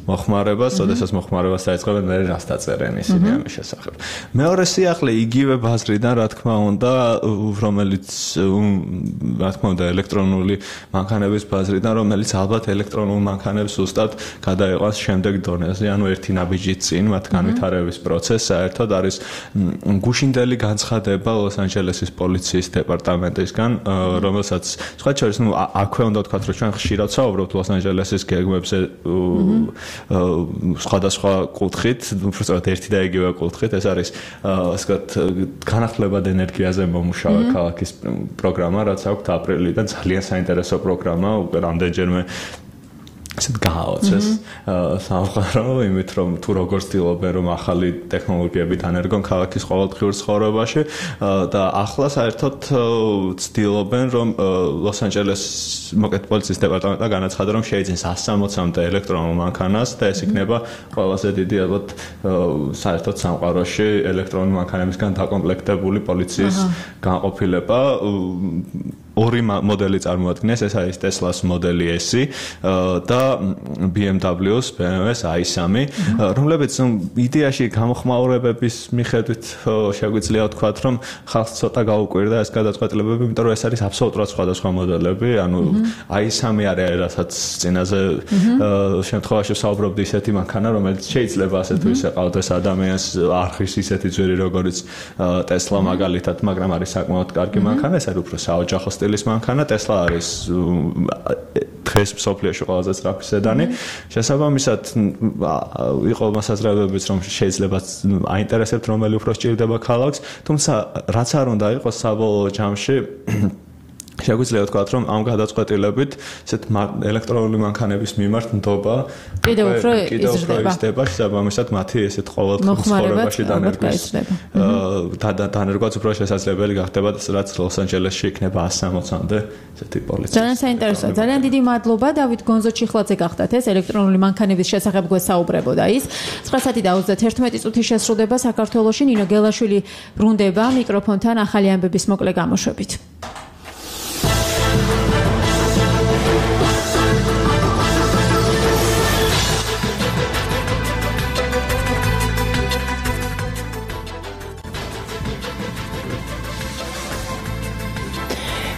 მოხმარებას, როდესაც მოხმარებას დაიწყებენ, მე რას დაწერენ ისინი ამის შესახებ. მეორე სიახლე იგივე ბაზრიდან, რა თქმა უნდა, რომელიც რა თქმა უნდა ელექტრონული მანქანების ბაზრიდან, რომელიც ალბათ ელექტრონულ მანქანებს ზუსტად გადაიყვანს შემდეგ დონეზე, ანუ ერთი ნაბიჯით წინ მათ განვითარების პროცესს საერთოდ არის გუშინდელი განცხადება ლოს-ანჯელესის პოლიციის დეპარტამენტისგან, რომელსაც სხვა შორის, ნუ აქვე უნდა ვთქვათ, რომ ჩვენ ხშირად საუბრობთ ლოს-ანჯელესის გეგმებზე სხვადასხვა კუთხით, უბრალოდ ერთი და იგივე კუთხით, ეს არის ასე ვთქვათ, განახლებად ენერგიაზე მომუშავე ქალაქის პროგრამა, რაც აქვს აპრილიდან ძალიან საინტერესო პროგრამა, უკვე რამდენჯერმე ესეთ გააოცეს სამყარო, იმით რომ თუ როგორ ცდილობენ რომ ახალი ტექნოლოგიები დანერგონ ქალაქის ყოველდღიურ ცხოვრებაში და ახლა საერთოდ ცდილობენ რომ ლოს-ანჯელეს მოკეთ პოლიციის დეპარტამენტმა განაცხადა რომ შეიძინს one sixty-მდე ელექტრონულ მანქანას და ეს იქნება ყველაზე დიდი ალბათ საერთოდ სამყაროში ელექტრონული მანქანებისგან დაკომპლექტებული პოლიციის განყოფილება ორი მოდელი წარმოადგენს, ეს არის Tesla-ს მოდელი S და B M W-ს B M W-ს i three, რომლებიც იდეაში გამოხმაურებების მიხედვით შეგვიძლია ვთქვათ, რომ ხალხს ცოტა გაუკვირდა ეს გადაწყვეტილებები, იმიტომ რომ ეს არის აბსოლუტურად სხვადასხვა მოდელები, ანუ i three არის რასაც წინაზე შემთხვევაში ვსაუბრობდი ისეთი მანქანა, რომელიც შეიძლება ასე თუ ისე ყავდეს ადამიანს არხის ისეთი ძვირი, როგორც Tesla მაგალითად, მაგრამ არის საკმაოდ კარგი მანქანა, ეს არის უფრო საოჯახო სტილის მანქანა, Tesla არის დღეს მსოფლიოში ყველაზე სწრაფი სედანი. შესაბამისად, იყო მასაზრებებიც, რომ შეიძლება აინტერესებთ რომელი უფრო სჭირდება ქალაქს, თუმცა რაც არ უნდა იყოს საბოლოო ჯამში შეგვიძლია ვთქვათ, რომ ამ გადაწყვეტილებით ესეთ ელექტრონული მანქანების მიმართ ნდობა კიდევ უფრო იზრდება. შესაბამისად, მათი ესეთ ყოველდღიურ ცხოვრებაში დანერგვის დანერგვაც უფრო შესაძლებელი გახდება, რაც ლოს-ანჯელესში იქნება one sixty-მდე ესეთი პოლიცია. ძალიან საინტერესოა. ძალიან დიდი მადლობა დავით გონზო-ჩიხლაძე გახდათ ეს ელექტრონული მანქანების შესახებ გვესაუბრებოდა ის. nine საათი და thirty-one წუთი შესრულდება საქართველოში. ნინო გელაშვილი ბრუნდება მიკროფონთან ახალი ამბების მოკლე გამოშვებით.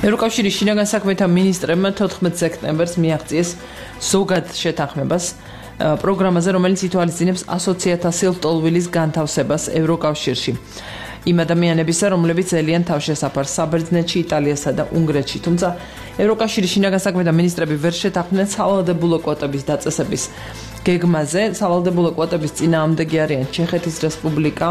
ევროკავშირის შინაგან საქმეთა მინისტრებმა თოთხმეტ სექტემბერს მიაღწიეს ზოგად შეთანხმებას პროგრამაზე, რომელიც ითვალისწინებს ასოციაციაციელ ლტოლვილის განთავსებას ევროკავშირში. იმ ადამიანებისა, რომლებიც ელიან თავშესაფარს საბერძნეთში, იტალიასა და უნგრეთში. თუმცა ევროკავშირის შინაგან საქმეთა მინისტრები ვერ შეთანხმდნენ სავალდებულო კვოტების დაწესების გეგმაზე. სავალდებულო კვოტების წინააღმდეგი არიან ჩეხეთის რესპუბლიკა,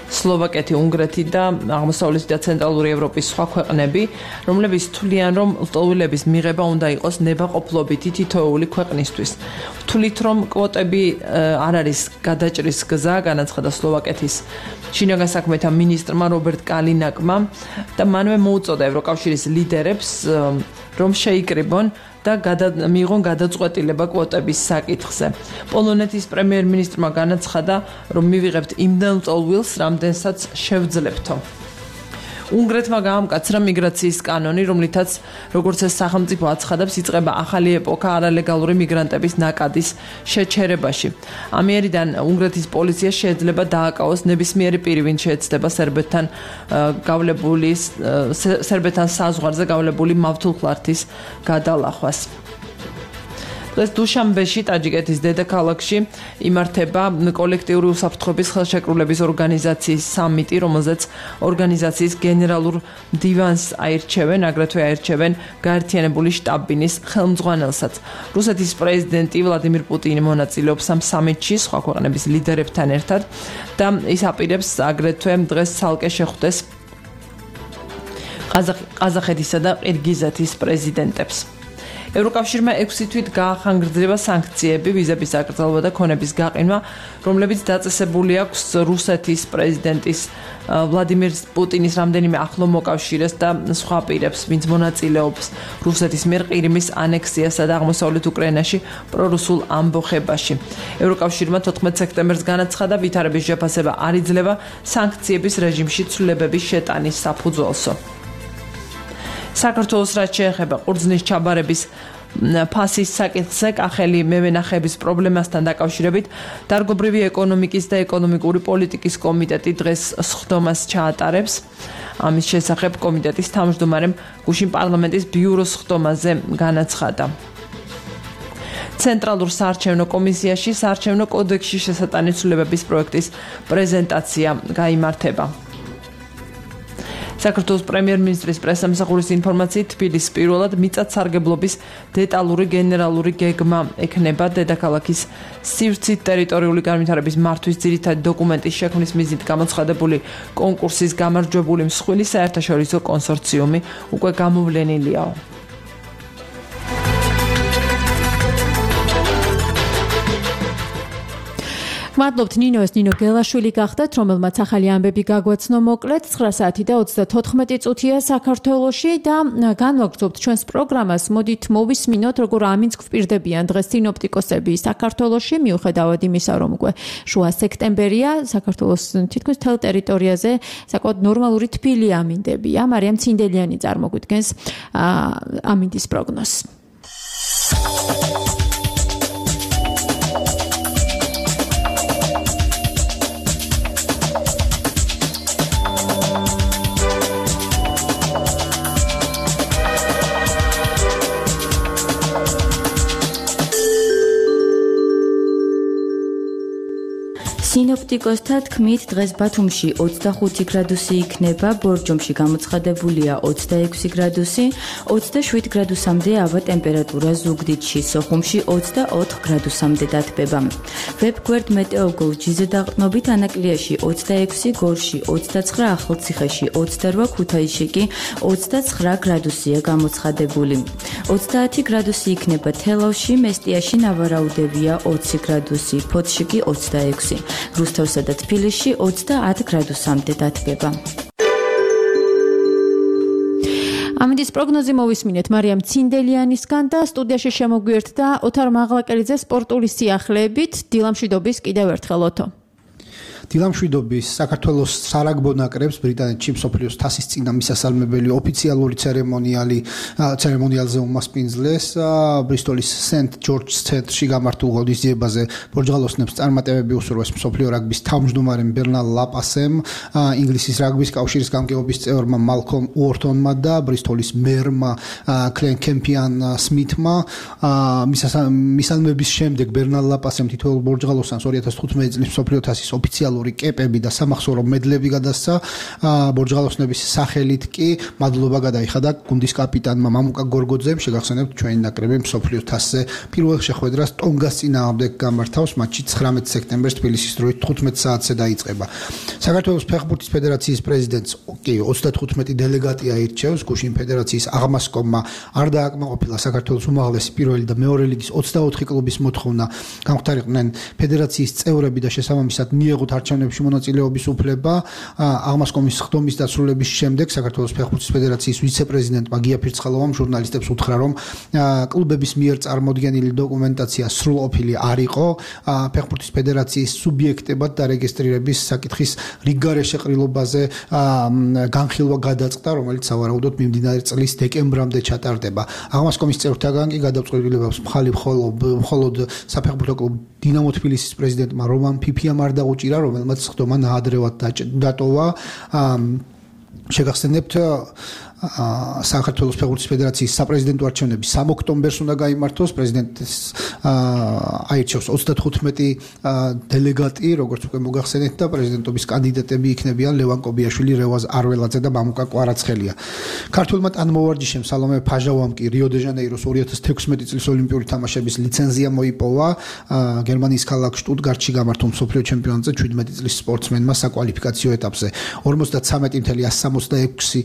სლოვაკეთი, უნგრეთი და აღმოსავლეთი და ცენტრალური ევროპის სხვა ქვეყნები, რომლებიც თვლიან, რომ ლტოლვილების მიღება უნდა იყოს ნებაყოფლობითი თითოეული ქვეყნისთვის. თვლით, რომ კვოტები არ არის გადაჭრის გზა, განაცხადა სლოვაკეთის შინაგან საქმეთა მინისტრმა რობერტ კალინაკმა და მანვე მოუწოდა ევროკავშირის ლიდერებს, რომ შეიკრიბონ და მიიღონ გადაწყვეტილება კვოტების საკითხზე. პოლონეთის პრემიერ-მინისტრმა განაცხადა, რომ მივიღებთ იმდენ ლტოლვილს, რამდენსაც შევძლებთო. უნგრეთმა გაამკაცრა მიგრაციის კანონი, რომლითაც, როგორც ეს სახელმწიფო აცხადებს, იწყება ახალი ეპოქა არალეგალური მიგრანტების ნაკადის შეჩერებაში. ამიერიდან უნგრეთის პოლიცია შეიძლება დააკავოს ნებისმიერი პირი, ვინც შეეცდება სერბეთთან გავლებული სერბეთთან საზღვარზე გავლებული მავთულხლართის გადალახვას. დღეს დუშანბეში, ტაჯიკეთის დედაქალაქში იმართება კოლექტიური უსაფრთხოების ხელშეკრულების ორგანიზაციის სამიტი, რომელზეც ორგანიზაციის გენერალურ დივანს აირჩევენ, აგრეთვე აირჩევენ გაერთიანებული შტაბ-ბინის ხელმძღვანელსაც. რუსეთის პრეზიდენტი ვლადიმირ პუტინი მონაწილეობს ამ სამიტში სხვა ქვეყნების ლიდერებთან ერთად და ის აპირებს აგრეთვე დღეს ცალკე შეხვდეს ყაზახეთისა და ყირგიზეთის პრეზიდენტებს. ევროკავშირმა ექვსი თვით გაახანგრძლივა სანქციები, ვიზების აკრძალვა და ქონების გაყინვა, რომლებიც დაწესებული აქვს რუსეთის პრეზიდენტის ვლადიმირ პუტინის რამდენიმე ახლო მოკავშირეს და სხვა პირებს, ვინც მონაწილეობს რუსეთის მიერ ყირიმის ანექსიასა და აღმოსავლეთ უკრაინაში პრორუსულ ამბოხებაში. ევროკავშირმა თოთხმეტ სექტემბერს განაცხადა, ვითარების შეფასება არ იძლევა სანქციების რეჟიმში ცვლილებების შეტანის საფუძველსო. საქართველოს რაც შეეხება ყურძნის ჩაბარების ფასის საკითხზე კახელი მევენახეების პრობლემასთან დაკავშირებით დარგობრივი ეკონომიკის და ეკონომიკური პოლიტიკის კომიტეტი დღეს სხდომას ჩაატარებს. ამის შესახებ კომიტეტის თავმჯდომარემ გუშინ პარლამენტის ბიუროს სხდომაზე განაცხადა. ცენტრალურ საარჩევნო კომისიაში საარჩევნო კოდექსში შესატანი ცვლილებების პროექტის პრეზენტაცია გაიმართება. საქართველოს პრემიერ-მინისტრის პრესამსახურის ინფორმაციით თბილისის პირველად მიწათსარგებლობის დეტალური გენერალური გეგმა ექნება დედაქალაქის სივრცით ტერიტორიული განვითარების მართვის ძირითადი დოკუმენტის შექმნის მიზნით გამოცხადებული კონკურსის გამარჯვებული მსხვილი საერთაშორისო კონსორციუმი უკვე გამოვლენილიაო. მადლობთ ნინოს ნინო გელაშვილი გახდათ, რომელმაც ახალი ამბები გაგვაცნო მოკლედ ცხრა საათი და ოცდათოთხმეტი წუთია საქართველოში და განვაგრძობთ ჩვენს პროგრამას. მოდით მოვისმინოთ, როგორ ამინც გვპირდებიან დღეს სინოპტიკოსები საქართველოში, მიუხედავად იმისა, რომ უკვე შუა სექტემბერია, საქართველოს თითქმის მთელ ტერიტორიაზე საკმაოდ ნორმალური თბილი ამინდებია. მარიამ ცინდელიანი წარმოგვიდგენს ამინდის პროგნოზს. სინოპტიკოსთა თქმით, დღეს ბათუმში ოცდახუთი გრადუსი იქნება, ბორჯომში გამოცხადებულია ოცდაექვსი გრადუსი, ოცდაშვიდ გრადუსამდე ავა ტემპერატურა ზუგდიდში, სოხუმში ოცდაოთხ გრადუსამდე დათბება. ვებგვერდ მეტეოგოლ ჯიზე დაყრდნობით ანაკლიაში ოცდაექვსი, გორში ოცდაცხრა, ახალციხეში ოცდარვა, ქუთაისში კი ოცდაცხრა გრადუსია გამოცხადებული. ოცდაათი გრადუსი იქნება თელავში, მესტიაში ნავარაუდევია ოცი გრადუსი, ფოთში კი ოცდაექვსი. რუსთავსა და თბილისში ოცდაათ გრადუსამდე დათბება. ამინდის პროგნოზი მოვისმინეთ მარიამ ცინდელიანისგან და სტუდიაში შემოგვიერთდა ოთარ მაღლაკელიძე სპორტული სიახლეებით. დილამშვიდობის კიდევ ერთხელ ოთო. დილამშვიდობის საქართველოს სარაგბო ნაკრებს ბრიტანეთში მსოფლიოს თასის წინა მისასალმებელი ოფიციალური ცერემონიალი ცერემონიალზე უმასპინძლეს ბრისტოლის სენტ ჯორჯს ცენტრში გამართულ ღონისძიებაზე ბორჯღალოსნებს წარმატებები უსურვეს მსოფლიო რაგბის თავმჯდომარემ ბერნალ ლაპასემ, ინგლისის რაგბის კავშირის გამგეობის წევრმა მალკომ უორტონმა და ბრისტოლის მერმა კლენ კემპიან სმითმა. მისალმების შემდეგ ბერნალ ლაპასემ თითოეულ ბორჯღალოსანს ორი ათას თხუთმეტი წლის მსოფლიო თასის ოფიციალური კეპები და სამახსოვრო მედლები გადასცა. ბორჯღალოსნების სახელით კი მადლობა გადაიხადა გუნდის კაპიტანმა მამუკა გორგოძემ. შეგახსენებთ ჩვენი ნაკრები მსოფლიო თასზე პირველ შეხვედრას ტონგას წინააღმდეგ გამართავს. მატჩი ცხრამეტი სექტემბერს თბილისის დროით თხუთმეტ საათზე დაიწყება. საქართველოს ფეხბურთის ფედერაციის პრეზიდენტს კი ოცდათხუთმეტი დელეგატი აირჩევს. გუშინ ფედერაციის აღმასკომმა არ დააკმაყოფილა საქართველოს უმაღლესი პირველი და მეორე ლიგის ოცდაოთხი კლუბის მოთხოვნა გამختარიყვნენ ფედერაციის წევრები და შესაბამისად მიეღოთ არჩევნებში მონაწილეობის უფლება. აღმასკომის ხდომის დასრულების შემდეგ საქართველოს ფეხბურთის ფედერაციის ვიცე-პრეზიდენტმა გია ფირცხალოვამ ჟურნალისტებს უთხრა, რომ კლუბების მიერ წარმოდგენილი დოკუმენტაცია სრულყოფილი არ იყო. ფეხბურთის ფედერაციის სუბიექტებად დარეგისტრირების საკითხის რიგგარეშე ყრილობაზე განხილვა გადაწყდა, რომელიც სავარაუდოდ მიმდინარე წლის დეკემბრამდე ჩატარდება. აღმასკომის წევრთაგან კი გადაწყვეტილებებს მხალი მხოლოდ საფეხბურთო კლუბ დინამო თბილისის პრეზიდენტმა რომან ფიფიამ არ დაუჭირა, რომელმაც ხდომა ნაადრევად დატოვა. შეგახსენებთ საქართველოს ფეხბურთის ფედერაციის საპრეზიდენტო არჩევნები სამ ოქტომბერს უნდა გაიმართოს. პრეზიდენტის აირჩევს ოცდათხუთმეტი დელეგატი, როგორც უკვე მოგახსენეთ და პრეზიდენტობის კანდიდატები იქნებიან ლევან კობიაშვილი, რევაზ არველაძე და მამუკა კვარაცხელია. ქართულმა ტანმოვარჯიშემ სალომე ფაჟავამ კი რიო-დე-ჟანეიროს ორი ათას თექვსმეტი წლის ოლიმპიური თამაშების ლიცენზია მოიპოვა. გერმანიის ქალაქ შტუტგარტში გამართულ მსოფლიო ჩემპიონატზე შვიდმეტი წლის სპორტსმენმა საკვალიფიკაციო ეტაპზე ორმოცდათრამეტი ათასი ათას სამოცდაექვსი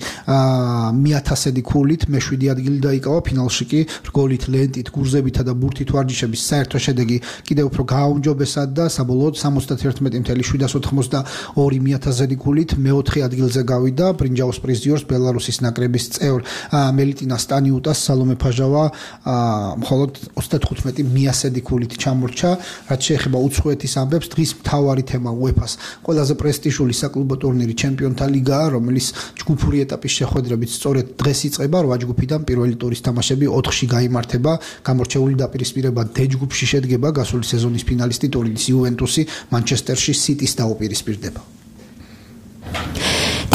მიათასედი ქულით მეშვიდე ადგილი დაიკავა. ფინალში კი რგოლით, ლენტით, გურზებითა და ბურთით ვარჯიშების საერთო შედეგი კიდევ უფრო გააუმჯობესა და საბოლოოდ სამოცდათერთმეტი ათასი შვიდას ოთხმოცდაორი მიათასედი ქულით მეოთხე ადგილზე გავიდა. ბრინჯაოს პრიზიორს ბელარუსის ნაკრების წევრ მელიტინა სტანიუტას სალომე ფაჟავა მხოლოდ ოცდათხუთმეტი მიასედი ქულით ჩამორჩა. რაც შეეხება უცხოეთის ამბებს, დღის მთავარი თემა უეფას ყველაზე პრესტიჟული საკლუბო ტურნირი ჩემპიონთა ლიგაა, რომელიც ჯგუფური ეტაპის შეხვედრებით სწორედ დღეს იწყება. რვა ჯგუფიდან პირველი ტურის თამაშები ოთხში გაიმართება. გამორჩეული დაპირისპირება დ ჯგუფში შედგება. გასული სეზონის ფინალისტი ტურინის იუვენტუსი მანჩესტერში სიტის დაუპირისპირდება.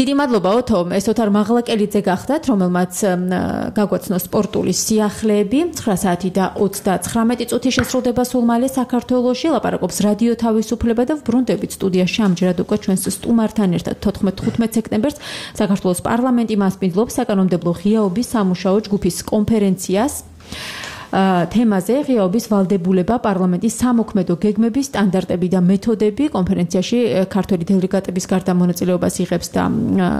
დიდი მადლობა ოთო, ეს ოთარ მაღლაკელიძე გახდათ, რომელმაც გაგვაცნო სპორტული სიახლეები. ცხრა საათი და ოცდაცხრამეტი წუთი შესრულდება სულ მალე საქართველოში. ლაპარაკობს რადიო თავისუფლება და ვბრუნდებით სტუდიაში ამჯერად უკვე ჩვენს სტუმართან ერთად თოთხმეტ სექტემბერს საქართველოს პარლამენტი მასპინძლობს საკანონმდებლო ღიაობის სამუშაო ჯგუფის კონფერენციას. თემაზე ღიაობის ვალდებულება პარლამენტის სამოქმედო გეგმების სტანდარტები და მეთოდები. კონფერენციაში ქართველი დელეგატების გარდა მონაწილეობას იღებს და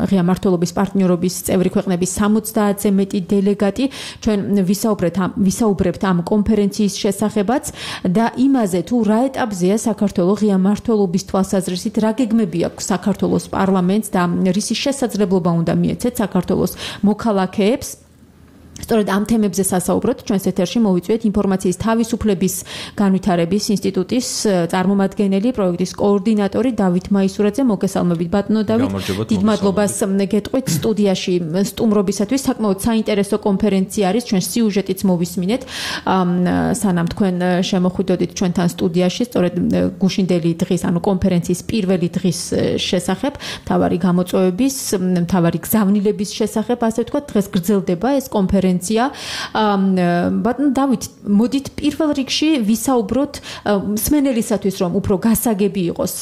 ღია მმართველობის პარტნიორობის წევრი ქვეყნების სამოცდაათზე მეტი დელეგატი. ჩვენ ვისაუბრეთ ამ ვისაუბრებთ ამ კონფერენციის შესახებაც და იმაზე თუ რა ეტაპზეა საქართველოს ღია მმართველობის თვალსაზრისით, რა გეგმები აქვს საქართველოს პარლამენტს და რისი შესაძლებლობა უნდა მიეცეთ საქართველოს მოქალაქეებს. სწორედ ამ თემებზე სასაუბროთ ჩვენს ეთერში მოვიწვიეთ ინფორმაციის თავისუფლების განვითარების ინსტიტუტის წარმომადგენელი პროექტის კოორდინატორი დავით მაისურაძე. მოგესალმებით ბატონო დავით. დიდ მადლობას გეტყვით სტუდიაში სტუმრობისათვის. საკმაოდ საინტერესო კონფერენცია არის, ჩვენ სიუჟეტიც მოვისმინეთ სანამ თქვენ შემოხვიდოდით ჩვენთან სტუდიაში სწორედ გუშინდელი დღის ანუ კონფერენციის პირველი დღის შესახებ, მთავარი გამოწვევების, მთავარი გზავნილების შესახებ, ასე ვთქვათ, დღეს გრძელდება ეს კონფერენცია. ბატონ დავით, მოდით პირველ რიგში ვისაუბროთ მსმენელისათვის, რომ უფრო გასაგები იყოს,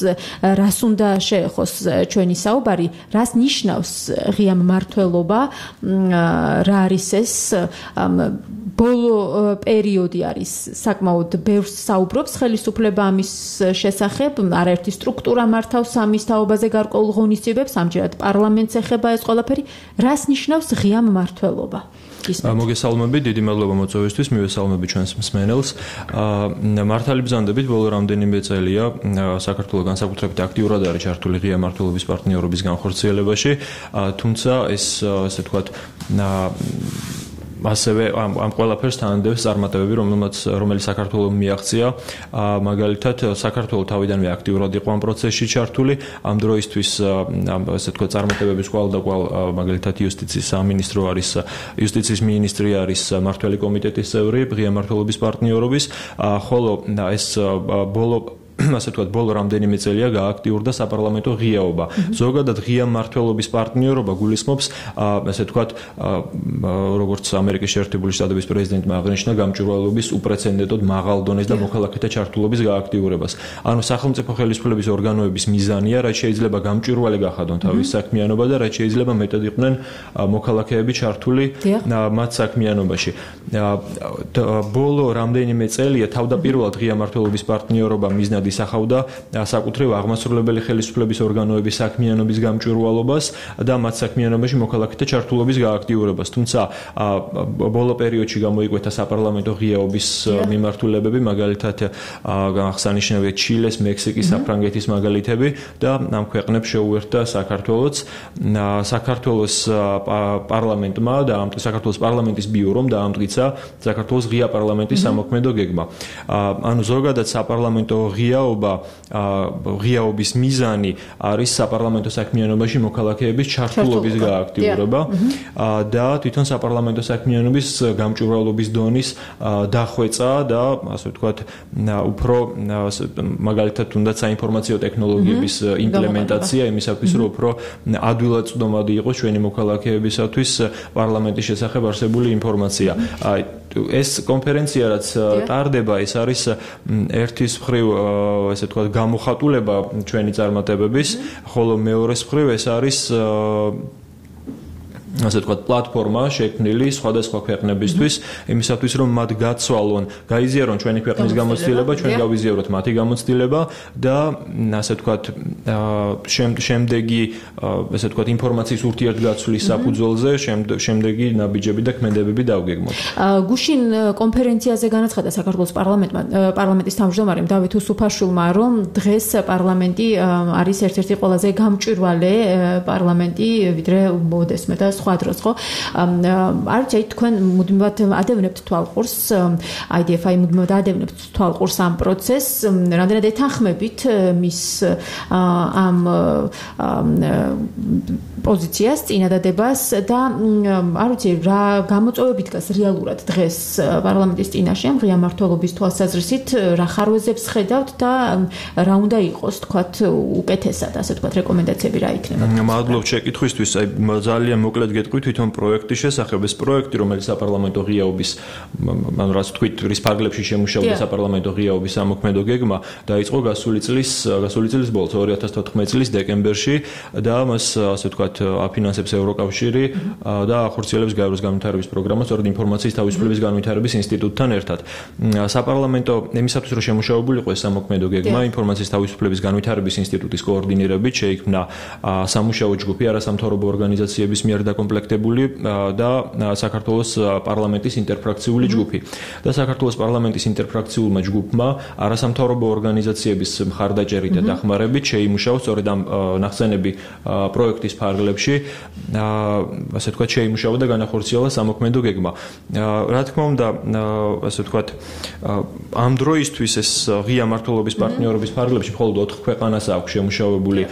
რას უნდა შეეხოს ჩვენი საუბარი, რას ნიშნავს ღია მმართველობა, რა არის ეს ბოლო პერიოდი არის საკმაოდ ბევრს საუბრობს ხელისუფლება ამის შესახებ, არაერთი სტრუქტურა მართავს ამის თაობაზე გარკვეულ ღონისძიებებს, ამჯერად პარლამენტს ეხება ეს ყველაფერი, რას ნიშნავს ღია მმართველობა? მოგესალმებით, დიდი მადლობა მოწვევისთვის, მივესალმები ჩვენს მსმენელს. მართალი ბრძანდებით, ბოლო რამდენიმე წელია საქართველოს განსაკუთრებით აქტიურად არის ჩართული ღია მმართველობის პარტნიორობის განხორციელებაში, თუმცა ეს ასე ვთქვათ ასევე ამ ამ ყველაფერს თანადებს წარმატებები, რომელმაც რომელიც საქართველოს მიაღწია, მაგალითად საქართველოს თავიდანვე აქტიურად იყო ამ პროცესში ჩართული, ამ დროისთვის ასე ვთქვათ წარმატებების კვალ და კვალ მაგალითად იუსტიციის სამინისტრო არის, იუსტიციის მინისტრი არის მმართველი კომიტეტის წევრი ღია მმართველობის პარტნიორობის, ხოლო ეს ბოლო ასე ვთქვათ, ბოლო რამდენიმე წელია გააქტიურდა საპარლამენტო ღიაობა. ზოგადად ღია მმართველობის პარტნიორობა გულისხმობს, ასე ვთქვათ, როგორც ამერიკის შეერთებული შტატების პრეზიდენტმა აღნიშნა, გამჭვირვალობის უპრეცედენტოდ მაღალ დონეს და მოქალაქეთა ჩართულობის გააქტიურებას. ანუ სახელმწიფო ხელისუფლების ორგანოების მიზანია, რაც შეიძლება გამჭვირვალე გახადონ თავის საქმიანობა და რაც შეიძლება მეტად იყვნენ მოქალაქეები ჩართული მათ საქმიანობაში. ბოლო რამდენიმე წელია თავდაპირველად ღია მმართველობის პარტნიორობა მიზნად ისახავდა საკუთრივ აღმასრულებელი ხელისუფლების ორგანოების საქმიანობის გამჭვირვალობას და მათ საქმიანობაში მოქალაქეთა ჩართულობის გააქტიურებას. თუმცა ბოლო პერიოდში გამოიკვეთა საპარლამენტო ღიაობის მიმართულებები, მაგალითად აღსანიშნავია ჩილეს, მექსიკის, საფრანგეთის მაგალითები და ამ ქვეყნებს შეუერთდა საქართველოც. საქართველოს პარლამენტმა და საქართველოს პარლამენტის ბიურომ დაამტკიცა საქართველოს ღია პარლამენტის სამოქმედო გეგმა. ანუ ზოგადად საპარლამენტო ღიაობა, ღიაობის მიზანი არის საპარლამენტო საქმიანობაში მოქალაქეების ჩართულობის გააქტიურება და თვითონ საპარლამენტო საქმიანობის გამჭვირვალობის დონის დახვეწა და ასე ვთქვათ, უფრო მაგალითად თუნდაც საინფორმაციო ტექნოლოგიების იმპლემენტაცია იმისათვის, რომ უფრო ადვილად წვდომადი იყოს ჩვენი მოქალაქეებისათვის პარლამენტის შესახებ არსებული ინფორმაცია. ეს კონფერენცია რაც ტარდება, ეს არის ერთის მხრივ ესე ვთქვათ გამოხატულება ჩვენი წარმატებების, ხოლო მეორეს მხრივ ეს არის ასე ვთქვათ პლატფორმა შექმნილი სხვადასხვა ქვეყნებისთვის, იმისათვის რომ მათ გაცვალონ, გაიზიარონ ჩვენი ქვეყნის გამოცდილება, ჩვენ გავიზიაროთ მათი გამოცდილება და ასე ვთქვათ შემდეგი ასე ვთქვათ ინფორმაციის ურთიერთგაცვლის საფუძველზე შემდეგი ნაბიჯები და ქმედებები დავგეგმოთ. გუშინ კონფერენციაზე განაცხადა საქართველოს პარლამენტმა პარლამენტის თავმჯდომარემ დავით უსუფაშვილმა, რომ დღეს პარლამენტი არის ერთ-ერთი ყველაზე გამჭვირვალე პარლამენტი ვიდრე მოდესმე და სხვა სხვა დროს ხო არ ვიცი თქვენ მუდმივად ადევნებთ თვალყურს აი დი ეფ აი მუდმივად ადევნებთ თვალყურს ამ პროცესს რამდენად ეთანხმებით მის ამ პოზიციას წინადადებას და არ ვიცი რა გამოწვევები დგას რეალურად დღეს პარლამენტის წინაშე ამ ღია მმართველობის თვალსაზრისით რა ხარვეზებს ხედავთ და რა უნდა იყოს თქვათ უკეთესად ასე თქვათ რეკომენდაციები რა იქნება მადლობთ შეკითხვისთვის აი ძალიან მოკლედ გეტყვი თვითონ პროექტის შესახებ ეს პროექტი რომელიც საპარლამენტო ღიაობის ანუ რაც თქვით რის ფარგლებში შემუშავდა საპარლამენტო ღიაობის სამოქმედო გეგმა დაიწყო გასული წლის გასული წლის ბოლოს ორი ათას თოთხმეტი წლის დეკემბერში და მას ასე ვთქვათ აფინანსებს ევროკავშირი და ახორციელებს გაეროს განვითარების პროგრამას სწორედ ინფორმაციის თავისუფლების განვითარების ინსტიტუტთან ერთად. საპარლამენტო იმისათვის რომ შემუშავებული იყო ეს სამოქმედო გეგმა ინფორმაციის თავისუფლების განვითარების ინსტიტუტის კოორდინირებით შეიქმნა სამუშაო ჯგუფი არასამთავრობო ორგანიზაციების მიერ დაკომპლექტებული და საქართველოს პარლამენტის ინტერფრაქციული ჯგუფი. და საქართველოს პარლამენტის ინტერფრაქციულმა ჯგუფმა არასამთავრობო ორგანიზაციების მხარდაჭერით და დახმარებით შეიმუშაოს სწორედ ამ ნახსენები პროექტის ფარგლებში ასე ვთქვათ შეიმუშავა და განახორციელა სამოქმედო გეგმა. რა თქმა უნდა ასე ვთქვათ ამ დროისთვის ეს ღია მმართველობის პარტნიორობის ფარგლებში მხოლოდ ოთხ ქვეყანას აქვს შემუშავებული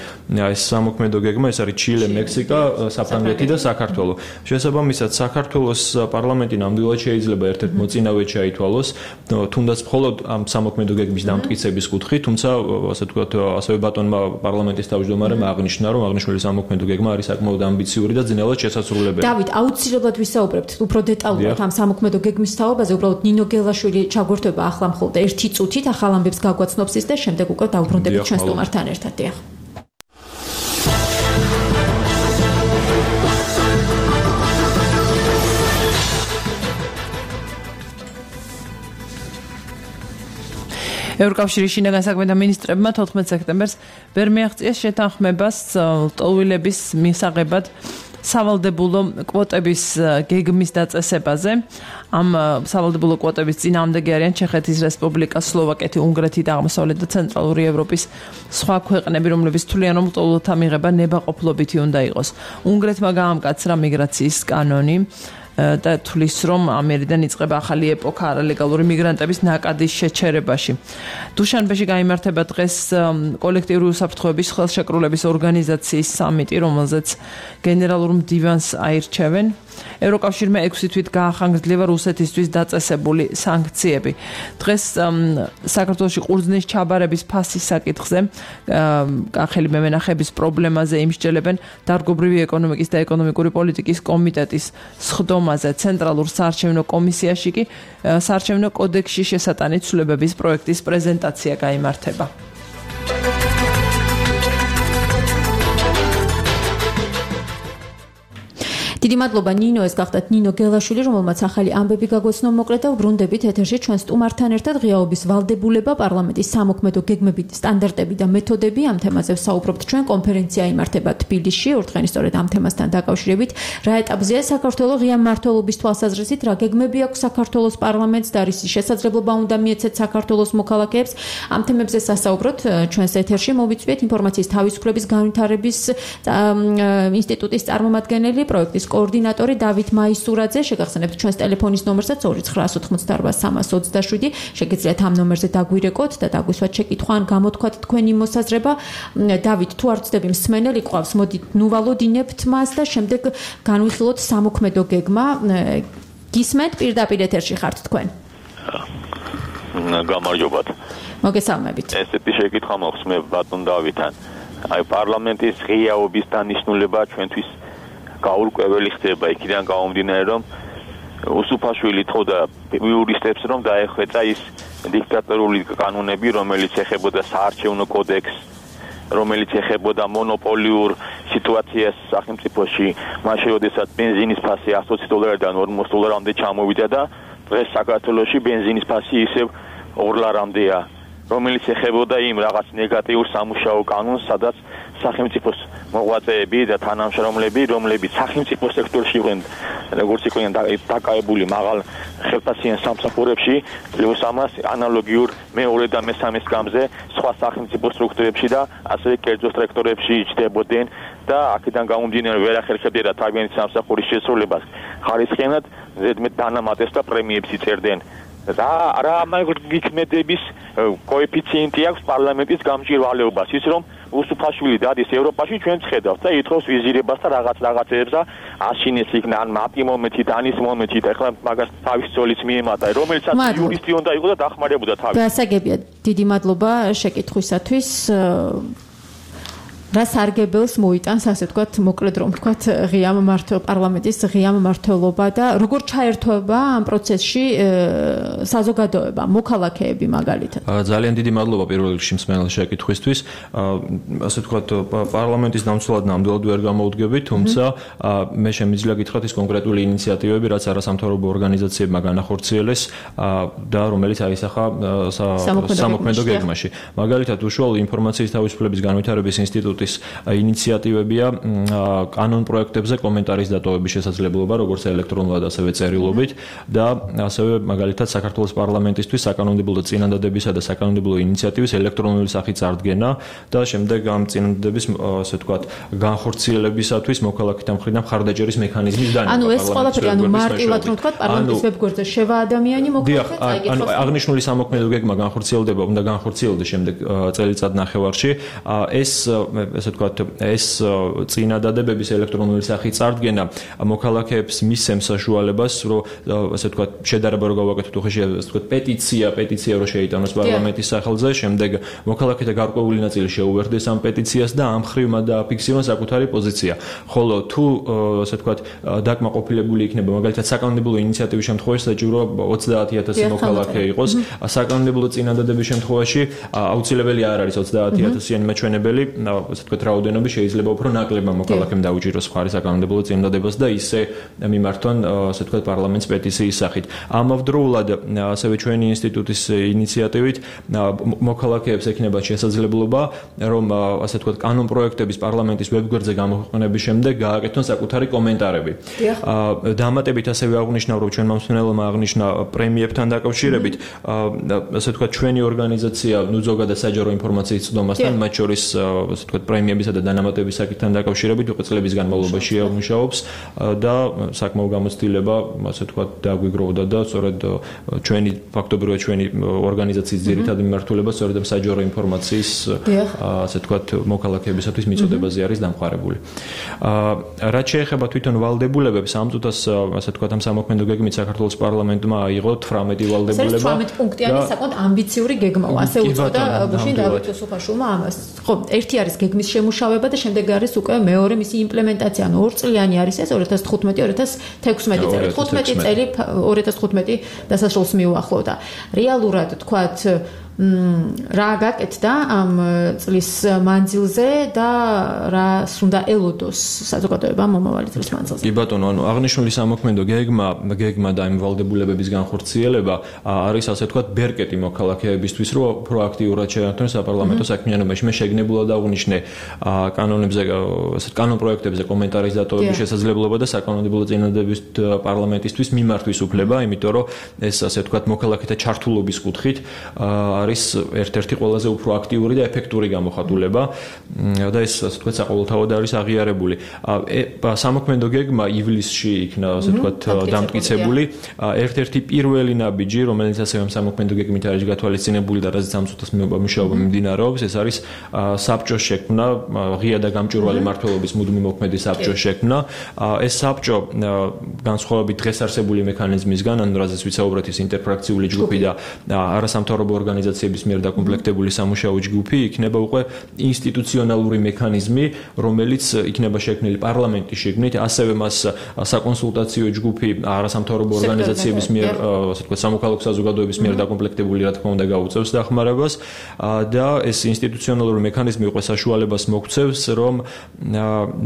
ეს სამოქმედო გეგმა ეს არის ჩილე, მექსიკა, საფრანგეთი და საქართველო. შესაბამისად საქართველოს პარლამენტი ნამდვილად შეიძლება ერთ-ერთ მოწინავედ შეითვალოს თუნდაც მხოლოდ ამ სამოქმედო გეგმის დამტკიცების კუთხით, თუმცა ასე ვთქვათ ასევე ბატონმა პარლამენტის თავმჯდომარემ აღნიშნა რომ აღნიშნული სამოქმედო გეგმა არის საკმაოდ ამბიციური და ძნელად შესაძლებელი. დავით, აუცილებლად ვისაუბრებთ უფრო დეტალურად ამ სამოქმედო გეგმის თაობაზე, უბრალოდ ნინო გელაშვილი ჩაგვერთვება ახლა მხოლოდ ერთი წუთით ახალ ამბებს გაგვაცნობს ის და შემდეგ უკვე დავბრუნდებით ჩვენ სტუმართან ერთად. დიახ. ევროკავშირის შინაგან საქმეთა მინისტრებმა თოთხმეტ სექტემბერს ვერ მიაღწიეს შეთანხმებას ლტოლვილების მისაღებად სავალდებულო კვოტების გეგმის დაწესებაზე. ამ სავალდებულო კვოტების წინააღმდეგი არიან ჩეხეთის რესპუბლიკა, სლოვაკეთი, უნგრეთი და აღმოსავლეთ და ცენტრალური ევროპის სხვა ქვეყნები, რომლებიც თვლიან, რომ ლტოლვილთა მიღება ნებაყოფლობითი უნდა იყოს. უნგრეთმა გაამკაცრა მიგრაციის კანონი და თulis რომ ამერიდან იწყება ახალი ეპოქა არალეგალური მიგრანტების ნაკადის შეჩერებაში. დუშანბეში გაიმართება დღეს კოლექტიური უსაფრთხოების ხელშეკრულების ორგანიზაციის სამიტი, რომელზეც გენერალურ მდივანს აირჩევენ. ევროკავშირმა ექვსი თვით გაახანგრძლება რუსეთისთვის დაწესებული სანქციები. დღეს საქართველოში ყურძნის ჩაბარების ფასის საკითხზე კახელი მემენახების პრობლემაზე იმსჯელებენ დარგობრივი ეკონომიკის და ეკონომიკური პოლიტიკის კომიტეტის სხდომაზე. ცენტრალურ საარჩევნო კომისიაში კი საარჩევნო კოდექსში შესატანი ცვლილებების პროექტის პრეზენტაცია გაიმართება. დიდი მადლობა ნინო, ეს გახდათ ნინო გელაშვილი, რომელმაც ახალი ამბები გაგვეცნო მოკლედ და ვბრუნდებით ეთერში ჩვენ სტუმართან ერთად ღიაობის ვალდებულება, პარლამენტის სამოქმედო გეგმები, სტანდარტები და მეთოდები. ამ თემაზე ვსაუბრობთ ჩვენ, კონფერენცია იმართება თბილისში, ორდღიანი სწორედ ამ თემასთან დაკავშირებით. რა ეტაპზეა საქართველოს ღია მმართველობის თვალსაზრისით, რა გეგმები აქვს საქართველოს პარლამენტს და რის შესაძლებლობა უნდა მიეცეთ საქართველოს მოქალაქეებს. ამ თემებზე სასაუბროთ ჩვენს ეთერში მოვიწვიეთ ინფორმაციის თავისუფლების განვითარების ინსტიტუტის წარმომადგენელი, პროექტის კოორდინატორი დავით მაისურაძე. შეგახსენებთ ჩვენს ტელეფონის ნომერსაც ორი ცხრა ოცდაოთხ სამას ოცდაშვიდი. შეგიძლიათ ამ ნომერზე დაგვირეკოთ და დაგვისვათ შეკითხვა ან გამოთქვათ თქვენი მოსაზრება. დავით, თუ არ ვწდები მსმენელი ყავს, მოდით ნუვალოდინებთ მას და შემდეგ განვიხილოთ სამოქმედო გეგმა. გისმენთ პირდაპირ ეთერში ხართ თქვენ. გამარჯობათ. მოგესალმებით. ესეთი შეკითხვა მაქვს მე ბატონ დავითთან. აი პარლამენტის ღიაობის დანიშნულება ჩვენთვის გაურკვეველი ხდება იქიდან გამომდინარე რომ უსუფაშვილი თხოვდა იურისტებს რომ დაეხვეწა ის დიქტატორული კანონები რომელიც ეხებოდა საარჩევნო კოდექსს რომელიც ეხებოდა მონოპოლიურ სიტუაციას სახელმწიფოში მაშინ როდესაც ბენზინის ფასი ათოცი დოლარიდან ორმოცი დოლარამდე ჩამოვიდა და დღეს საქართველოში ბენზინის ფასი ისევ ორ ლარამდეა რომელიც ეხებოდა იმ რაღაც ნეგატიურ სამუშაო კანონს სადაც სახელმწიფოს მოღვაწეები და თანამშრომლები, რომლებიც სახელმწიფო სექტორში იყვნენ, როგორც იყვნენ დაკავებული მაღალ ხელფასიან სამსახურებში, პლუს ამას ანალოგიურ მეორე და მესამე სკამზე სხვა სახელმწიფო სტრუქტურებში და ასევე კერძო სექტორებში იჯდებოდნენ და აქედან გამომდინარე ვერ ახერხებდნენ თავიანთი სამსახურის შესრულებას ხარისხიანად ზედმეტ დანამატებს და პრემიებს იწერდნენ. და რა მაგიქმედების კოეფიციენტი აქვს პარლამენტის გამჭირვალეობას ის რომ უსუფაშვილი დადის ევროპაში ჩვენც ხედავთ და ითხოვს ვიზირებას და რაღაც რაღაცებს და აშინეს იქნა ან მაპი მომეთით ანის მომეთით ახლა მაგას თავის ძოლიც მიემატა რომელიცაც იურისტი უნდა იყოს და დახმარებოდა თავის გასაგებია დიდი მადლობა შეკითხვისათვის რა სარგებელს მოიტანს ასე ვთქვათ მოკლედ რომ ვთქვათ ღიამ მართლ პარლამენტის ღიამ მართლობა და როგორ ჩაერთვება ამ პროცესში საზოგადოება მოქალაქეები მაგალითად ძალიან დიდი მადლობა პირველ რიგში მსმენელ შეკითხვისთვის ასე ვთქვათ პარლამენტის დამცველად ნამდვილად ვერ გამოვდგებით თუმცა მე შემიძლია გითხრათ ის კონკრეტული ინიციატივები რაც არასამთავრობო ორგანიზაციებმა განახორციელეს და რომელიც აისახა სამოქმედო გეგმაში მაგალითად უშუალო ინფორმაციის თავისუფლების განვითარების ინსტიტუტი ინიციატივებია კანონ პროექტებზე კომენტარის დატოვების შესაძლებლობა როგორც ელექტრონულად ასევე წერილობით და ასევე მაგალითად საქართველოს პარლამენტისთვის საკანონმდებლო წინადადებისა და საკანონმდებლო ინიციატივის ელექტრონული სახით წარდგენა და შემდეგ ამ წინადადების ასე ვთქვათ განხორციელებისათვის მოქალაქეთა მხრიდან მხარდაჭერის მექანიზმის დანება. ანუ ეს ყველაფერი ანუ მარტივად რომ ვთქვათ პარლამენტის ვებგვერდზე შევა ადამიანი მოქალაქე წაიგებს. ანუ აღნიშნული სამოქმედო გეგმა განხორციელდება, უნდა განხორციელდეს შემდეგ წელიწად ნახევარში. ეს ასე ვთქვათ, ეს წინადადებების ელექტრონული სახით წარდგენა მოქალაქეებს მისცემს საშუალებას, რომ ასე ვთქვათ, შედარება რო გავაკეთოთ უხეში, ასე ვთქვათ, პეტიცია, პეტიცია რო შეიტანოს პარლამენტის სახელზე, შემდეგ მოქალაქეთა გარკვეული ნაწილი შეუერთდეს ამ პეტიციას და ამ ხრივ მათ დააფიქსირონ საკუთარი პოზიცია. ხოლო თუ ასე ვთქვათ, დაკმაყოფილებული იქნება მაგალითად საკანონმდებლო ინიციატივის შემთხვევაში საჭირო ოცდაათი ათასი მოქალაქე იყოს, საკანონმდებლო წინადადების შემთხვევაში აუცილებელი არ არის ოცდაათი ათასიანი მაჩვენებელი, ასე ვთქვათ, რაოდენობა შეიძლება უფრო ნაკლებმა მოქალაქემ დაუჭიროს მხარი საკანონმდებლო წინადადებას და ისე მიმართონ ასე ვთქვათ პარლამენტს პეტიციის სახით. ამავდროულად ასევე ჩვენი ინსტიტუტის ინიციატივით მოქალაქეებს ექნება შესაძლებლობა რომ ასე ვთქვათ კანონ პროექტების პარლამენტის ვებგვერდზე გამოქვეყნების შემდეგ გააკეთონ საკუთარი კომენტარები. დამატებით ასევე აღნიშნავ რომ ჩვენ მომსმენელმა აღნიშნა პრემიებთან დაკავშირებით ასე ვთქვათ ჩვენი ორგანიზაცია ნუ ზოგადად საჯარო ინფორმაციის წვდომასთან მათ შორის ასე ვთქვათ პრემიებისა და დანამატების საკითხთან დაკავშირებით უკვე წლების განმავლობაში მუშაობს და საკმაო გამოცდილება ასე ვთქვათ დაგვიგროვდა და სწორედ ჩვენი ფაქტობრივად ჩვენი ორგანიზაციის ძირითადი მიმართულება სწორედ ამ საჯარო ინფორმაციის ასე ვთქვათ მოქალაქეებისათვის მიწოდებაზე არის დამყარებული. რაც შეეხება თვითონ ვალდებულებებს ამ წუთას ასე ვთქვათ ამ სამოქმედო გეგმით საქართველოს პარლამენტმა აიღო თვრამეტი ვალდებულება. ეს თვრამეტი პუნქტიანი საკმაოდ ამბიციური გეგმაა. ასე უწოდა გუშინ დავით უსუფაშვილმა ამას. ხო, ერთი არის გეგმის შემუშავება და შემდეგ არის უკვე მეორე მისი იმპლემენტაცია. ანუ ორ წლიანი არის ეს ორი ათას თხუთმეტი ორი ათას თექვსმეტი წელი. თხუთმეტი წელი ორი ათას თხუთმეტი დასასრულს მიუახლოვდა. რეალურად თქვათ რა გაკეთდა ამ წლის მანძილზე და რას უნდა ელოდოს საზოგადოება მომავალი წლის მანძილზე. კი ბატონო, ანუ აღნიშნული სამოქმედო გეგმა, გეგმა და იმ ვალდებულებების განხორციელება არის ასე ვთქვათ ბერკეტი მოქალაქეებისთვის, რომ პროაქტიურად შეერთონ საპარლამენტო საქმიანობაში. მე შეგნებულად აღვნიშნე კანონებზე, ასე კანონ პროექტებზე კომენტარის დატოვების შესაძლებლობა და საკანონმდებლო წინადადების პარლამენტისთვის მიმართვის უფლება, იმიტომ რომ ეს ასე ვთქვათ მოქალაქეთა ჩართულობის კუთხით არის ერთ-ერთი ყველაზე უფრო აქტიური და ეფექტური გამოხატულება და ეს ასე ვთქვათ საყოველთაოდ არის აღიარებული. სამოქმედო გეგმა ივლისში იქნა ასე ვთქვათ დამტკიცებული. ერთ-ერთი პირველი ნაბიჯი, რომელიც ასევე სამოქმედო გეგმით არის გათვალისწინებული და რაც ამ წუთას მუშაობა მიმდინარეობს, ეს არის საბჭოს შექმნა, ღია და გამჭვირვალე მმართველობის მუდმივი მოქმედი საბჭოს შექმნა. ეს საბჭო განსხვავებით დღეს არსებული მექანიზმისგან, ანუ რაზეც ვიცაუბრეთ, ის ინტერფრაქციული ჯგუფი და არასამთავრობო ორგანიზაციების მიერ დაკომპლექტებული სამუშაო ჯგუფი იქნება უკვე ინსტიტუციონალური მექანიზმი, რომელიც იქნება შექმნილი პარლამენტის შიგნით, ასევე მას საკონსულტაციო ჯგუფი არასამთავრობო ორგანიზაციების მიერ, ასე ვთქვათ, სამოქალაქო საზოგადოების მიერ დაკომპლექტებული, რა თქმა უნდა, გაუწევს დახმარებას და ეს ინსტიტუციონალური მექანიზმი უკვე საშუალებას მოგცევს, რომ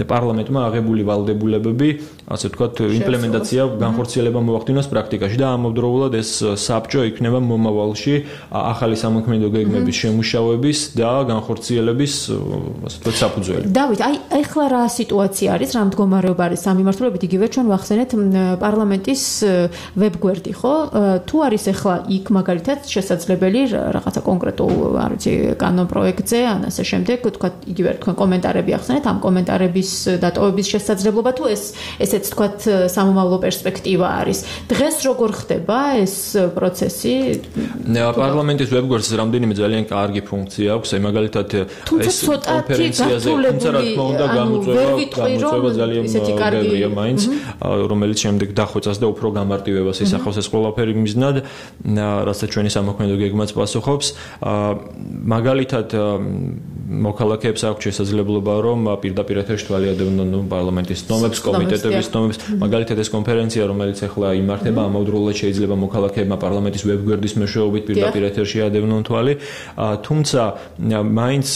პარლამენტმა აღებული ვალდებულებები, ასე ვთქვათ, იმპლემენტაცია, განხორციელება მოახდინოს პრაქტიკაში და ამავდროულად ეს საბჭო იქნება მომავალში ახალი ახალი სამოქმედო გეგმების შემუშავების და განხორციელების ასე ვთქვათ საფუძველი. დავით, აი ეხლა რა სიტუაცია არის, რა მდგომარეობა არის სამიმართლეობით, იგივე ჩვენ ვახსენეთ პარლამენტის ვებგვერდი, ხო? თუ არის ეხლა იქ მაგალითად შესაძლებელი რაღაცა კონკრეტულ, არ ვიცი, კანონ პროექტზე, ან ასე შემდეგ, თქვა იგივე თქვენ კომენტარები ახსენეთ, ამ კომენტარების დატოვების შესაძლებლობა თუ ეს ესეც თქვა სამომავლო პერსპექტივა არის. დღეს როგორ ხდება ეს პროცესი? პარლამენტის ვებგვერდს რამდენიმე ძალიან კარგი ფუნქცია აქვს, აი მაგალითად ეს კონფერენციაზე, თუმცა რა თქმა უნდა გამოწვევა გამოწვევა ძალიან ბევრია მაინც, რომელიც შემდეგ დახვეწას და უფრო გამარტივებას ისახავს ეს ყველაფერი მიზნად, რასაც ჩვენი სამოქმედო გეგმაც პასუხობს. მაგალითად მოქალაქეებს აქვს შესაძლებლობა რომ პირდაპირ ეთერში თვალიადევნონ ნუ პარლამენტის ცნობებს, კომიტეტების ცნობებს. მაგალითად ეს კონფერენცია, რომელიც ახლა იმართება, ამავდროულად შეიძლება მოქალაქეებმა პარლამენტის ვებგვერდის მეშვეობით პირდაპირ ეთერში ადევნონ თვალი. თუმცა მაინც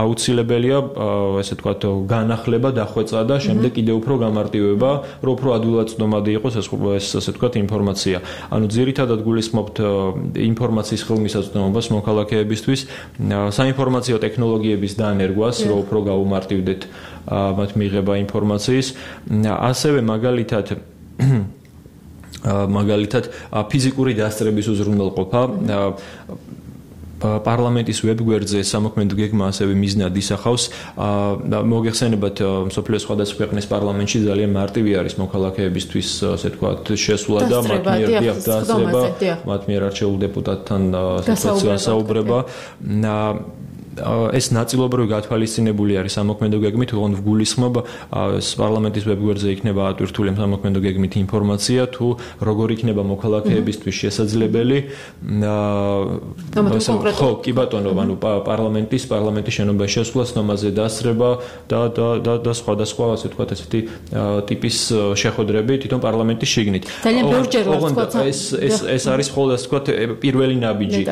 აუცილებელია ესე ვთქვათ განახლება, დახვეწა და შემდეგ კიდევ უფრო გამარტივება, რომ უფრო ადვილად-ცნობადი იყოს ეს ეს ასე ვთქვათ ინფორმაცია. ანუ ძირითადად გულისხმობთ ინფორმაციის ხელმისაწვდომობას მოქალაქეებისთვის, საინფორმაციო ტექნოლოგიების დანერგვას, რომ უფრო გაუმარტივდეთ მათ მიღება ინფორმაციის. ასევე მაგალითად მაგალითად ფიზიკური დასწრების უზრუნველყოფა პარლამენტის ვებგვერდზე სამოქმედო გეგმა ასევე მიზნად ისახავს. მოგეხსენებათ, მსოფლიოს სხვადასხვა ქვეყნის პარლამენტში ძალიან მარტივი არის მოქალაქეებისთვის, ასე ვთქვათ, შესვლა და მათ მიერ დაასწრება, მათ მიერ არჩეულ დეპუტატთან საუბრება. ეს ნაწილობრივ გათვალისწინებული არის სამოქმედო გეგმით, თუმცა გულისხმობ პარლამენტის ვებგვერდზე იქნება ატვირთული სამოქმედო გეგმით ინფორმაცია, თუ როგორ იქნება მოქალაქეებისთვის შესაძლებელი. ხო, კი ბატონო, ანუ პარლამენტის პარლამენტის შენობაში შესვლა, ცნობაზე დასწრება და და და და სხვადასხვა, ასე ვთქვათ, ესეთი ტიპის შეხვედრები თვითონ პარლამენტის შიგნით. ძალიან ბევრჯერ ვთქვათ, ეს ეს ეს არის მხოლოდ ასე ვთქვათ პირველი ნაბიჯი,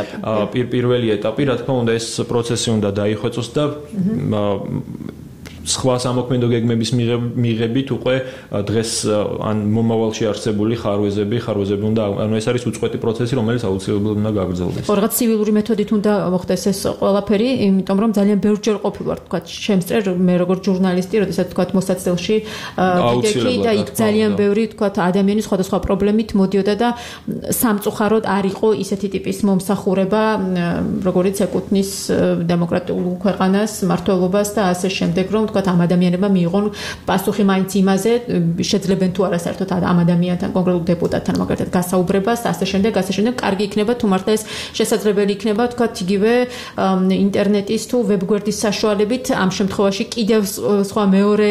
პირველი ეტაპი, რა თქმა უნდა, ეს პროცესი უნდა დაიხვეწოს და სხვა სამოქმედო გეგმების მიღებით უკვე დღეს ან მომავალში არსებული ხარვეზები, ხარვეზები უნდა, ანუ ეს არის უწყვეტი პროცესი, რომელიც აუცილებლად უნდა გაგრძელდეს. ხო, რაღაც civilური მეთოდით უნდა მოხდეს ეს ყველაფერი, იმიტომ რომ ძალიან ბევრჯერ ყოფილი ვარ, თქვა, შემწერ მე როგორც ჟურნალისტი, როდესაც თქვა მოსაცდელში ვიდექი და იქ ძალიან ბევრი, თქვა, ადამიანი სხვადასხვა პრობლემით მოდიოდა და სამწუხაროდ არ იყო ისეთი ტიპის მომსახურება, როგორც ეკუთვნის დემოკრატიულ ქვეყანას, მართლობას და ასე შემდეგ, რომ თქვათ ამ ადამიანებმა მიიღონ პასუხი მაინც იმაზე, შეძლებენ თუ არა საერთოდ ამ ადამიანთან, კონკრეტულ დეპუტატთან მაგალითად გასაუბრებას და ასე შემდეგ, ასე შემდეგ, კარგი იქნება თუ მართლა ეს შესაძლებელი იქნება, თქვათ, იგივე ინტერნეტის თუ ვებგვერდის საშუალებით, ამ შემთხვევაში კიდევ სხვა მეორე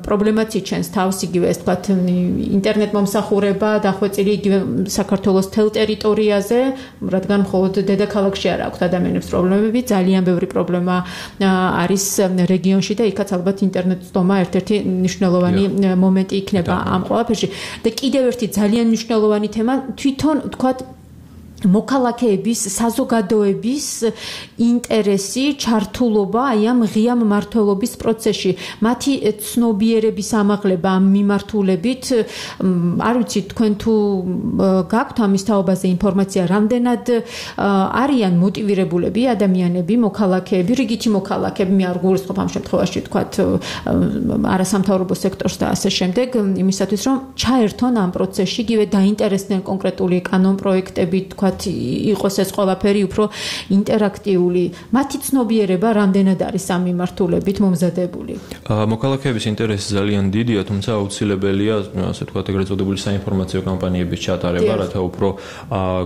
პრობლემაც იჩენს თავს, იგივე ეს თქვათ, ინტერნეტ მომსახურება დახვეწილი იგივე საქართველოს თელ ტერიტორიაზე, რადგან მხოლოდ დედაქალაქში არ აქვს ადამიანებს პრობლემები, ძალიან ბევრი პრობლემა არის რეგიონში და იქაც ალბათ ინტერნეტ ცდომა ერთ-ერთი მნიშვნელოვანი მომენტი იქნება ამ ყველაფერში. და კიდევ ერთი ძალიან მნიშვნელოვანი თემა თვითონ თქვათ მოქალაქეების, საზოგადოების ინტერესი, ჩართულობა აი ამ ღია მმართველობის პროცესში, მათი ცნობიერების ამაღლება ამ მიმართულებით, არ ვიცი თქვენ თუ გაქვთ ამის თაობაზე ინფორმაცია, რამდენად არიან მოტივირებულები ადამიანები, მოქალაქეები, რიგითი მოქალაქეები, მე არ გულისხმობ ამ შემთხვევაში თქვათ არასამთავრობო სექტორს და ასე შემდეგ, იმისათვის რომ ჩაერთონ ამ პროცესში, იგივე დაინტერესდნენ კონკრეტული კანონ პროექტები, თქვათ იყოს ეს ყველაფერი უფრო ინტერაქტიული. მათი ცნობიერება რამდენად არის ამ მიმართულებით მომზადებული? მოქალაქეების ინტერესი ძალიან დიდია, თუმცა აუცილებელია, ასე ვთქვათ, ეგრეთ წოდებული საინფორმაციო კამპანიების ჩატარება, რათა უფრო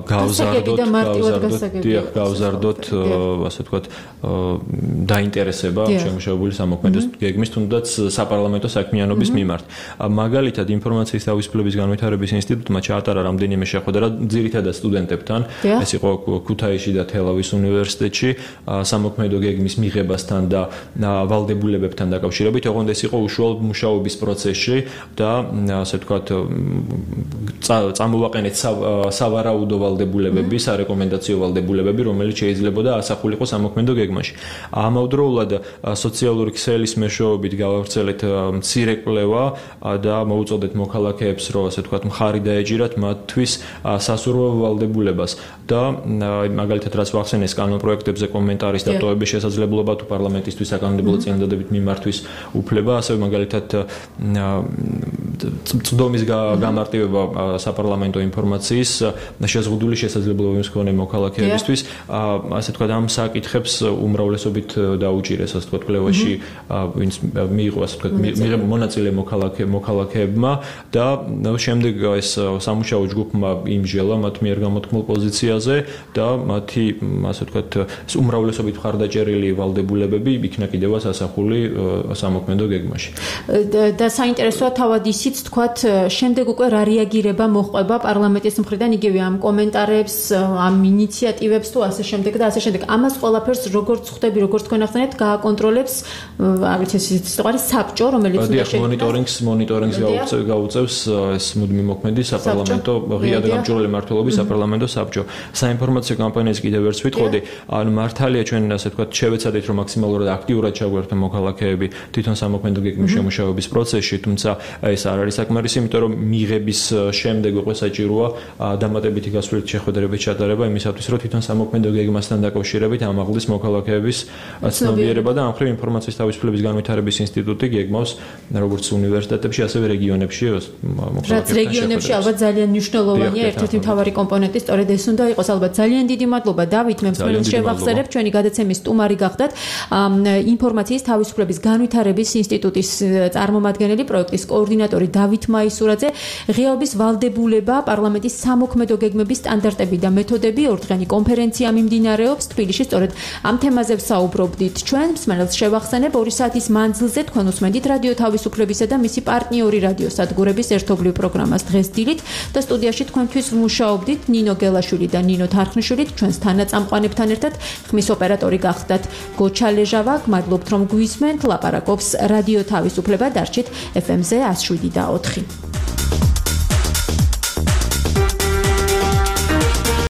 გავზარდოთ, გავზარდოთ, გავზარდოთ, ასე ვთქვათ, დაინტერესება შემუშავებული სამოქმედო გეგმის, თუნდაც საპარლამენტო საქმიანობის მიმართ. მაგალითად, ინფორმაციის თავისუფლების განვითარების ინსტიტუტმა ჩაატარა რამდენიმე შეხვედრა ძირითადად სტუდენტებთან. ეს იყო ქუთაისში და თელავის უნივერსიტეტში სამოქმედო გეგმის მიღებასთან და ვალდებულებებთან დაკავშირებით, ოღონდ ეს იყო უშუალოდ მუშაობის პროცესში და ასე ვთქვათ წამოვაყენეთ სავარაუდო ვალდებულებები, სარეკომენდაციო ვალდებულებები, რომელიც შეიძლებოდა ასახულიყო სამოქმედო გეგმაში. ამავდროულად სოციალური ქსელის მეშვეობით გავავრცელეთ მცირე კვლევა და მოუწოდეთ მოქალაქეებს, რომ ასე ვთქვათ მხარი დაეჯირათ მათთვის სასურველ ვალდებულებებს. თავისუფლებას და მაგალითად რაც ვახსენეს კანონპროექტებზე კომენტარის დატოვების შესაძლებლობა თუ პარლამენტისთვის საკანონმდებლო წინადადებით მიმართვის უფლება, ასევე მაგალითად წვდომის გამარტივება საპარლამენტო ინფორმაციის შეზღუდული შესაძლებლობების მქონე მოქალაქეებისთვის, ასე თქვა ამ საკითხებს უმრავლესობით დაუჭირეს, ასე თქვა კვლევაში, ვინც მიიღო, ასე თქვა მიიღო მონაწილე მოქალაქე მოქალაქეებმა და შემდეგ ეს სამუშაო ჯგუფმა იმჟელა მათ მიერ გამოთქმულ პოზიციაზე და მათი, ასე თქვა, უმრავლესობით მხარდაჭერილი ვალდებულებები იქნა კიდევაც ასახული სამოქმედო გეგმაში. და საინტერესოა თავად ისიც თქვათ შემდეგ უკვე რა რეაგირება მოჰყვება პარლამენტის მხრიდან იგივე ამ კომენტარებს, ამ ინიციატივებს თუ ასე შემდეგ და ასე შემდეგ. ამას ყველაფერს როგორც ხვდები, როგორც თქვენ ახსენეთ, გააკონტროლებს, არ ვიცი, ეს სიტყვარი საბჭო, რომელიც უნდა შექმნას. მონიტორინგს, მონიტორინგს გაუწევს ეს მუდმივი მოქმედი საპარლამენტო ღია და გამჭვირვალე მმართველობის საპარლამენტო საბჭო. საინფორმაციო კამპანიას კიდევ ერთს ვიტყოდი, ანუ მართალია ჩვენ ასე ვთქვათ, შევეცადეთ რომ მაქსიმალურად აქტიურად ჩაგვერთონ მოქალაქეები თვითონ სამოქმედო გეგმის შემუშავების პროცესში, თუმცა ეს არ არის საკმარისი, იმიტომ რომ მიღების შემდეგ უკვე საჭიროა დამატებითი გასვლით შეხვედრების ჩატარება იმისათვის, რომ თვითონ სამოქმედო გეგმასთან დაკავშირებით ამაღლის მოქალაქეების ცნობიერება და ამ მხრივ ინფორმაციის თავისუფლების განვითარების ინსტიტუტი გეგმავს როგორც უნივერსიტეტებში, ასევე რეგიონებში მოქალაქეებთან. რაც რეგიონებში ალბათ ძალიან მნიშვნელოვანია, ერთ-ერთი მთავარი კომპონენტი სწორედ ეს უნდა იყოს. ალბათ ძალიან დიდი მადლობა დავით, მე მსმენელს შევახსენებ, ჩვენი გადაცემის სტუმარი გახდათ ინფორმაციის თავისუფლების განვითარების ინსტიტუტის წარმომადგენელი, პროექტის კოორდინატორი დავით მაისურაძე. ღიაობის ვალდებულება პარლამენტის სამოქმედო გეგმების სტანდარტები და მეთოდები ორდღიანი კონფერენცია მიმდინარეობს თბილისში. სწორედ ამ თემაზე ვსაუბრობდით. ჩვენ მსმენელს შევახსენებ ორი საათის მანძილზე თქვენ უსმენთ რადიო თავისუფლებისა და მისი პარტნიორი რადიოსადგურების ერთობლივ პროგრამას დღეს დილით და სტუდიაში თქვენთვის ვმუშაობდით ნინო გელაშვილი და ნინო თარხნიშვილი. ჩვენს თანაწამყვანებთან ერთად ხმის ოპერატორი გახდათ გოჩა ლეჟავა. გმადლობთ რომ გვისმენთ. ლაპარაკობს რადიო თავისუფლება, დარჩით ეფ ემ-ზე one oh seven და four.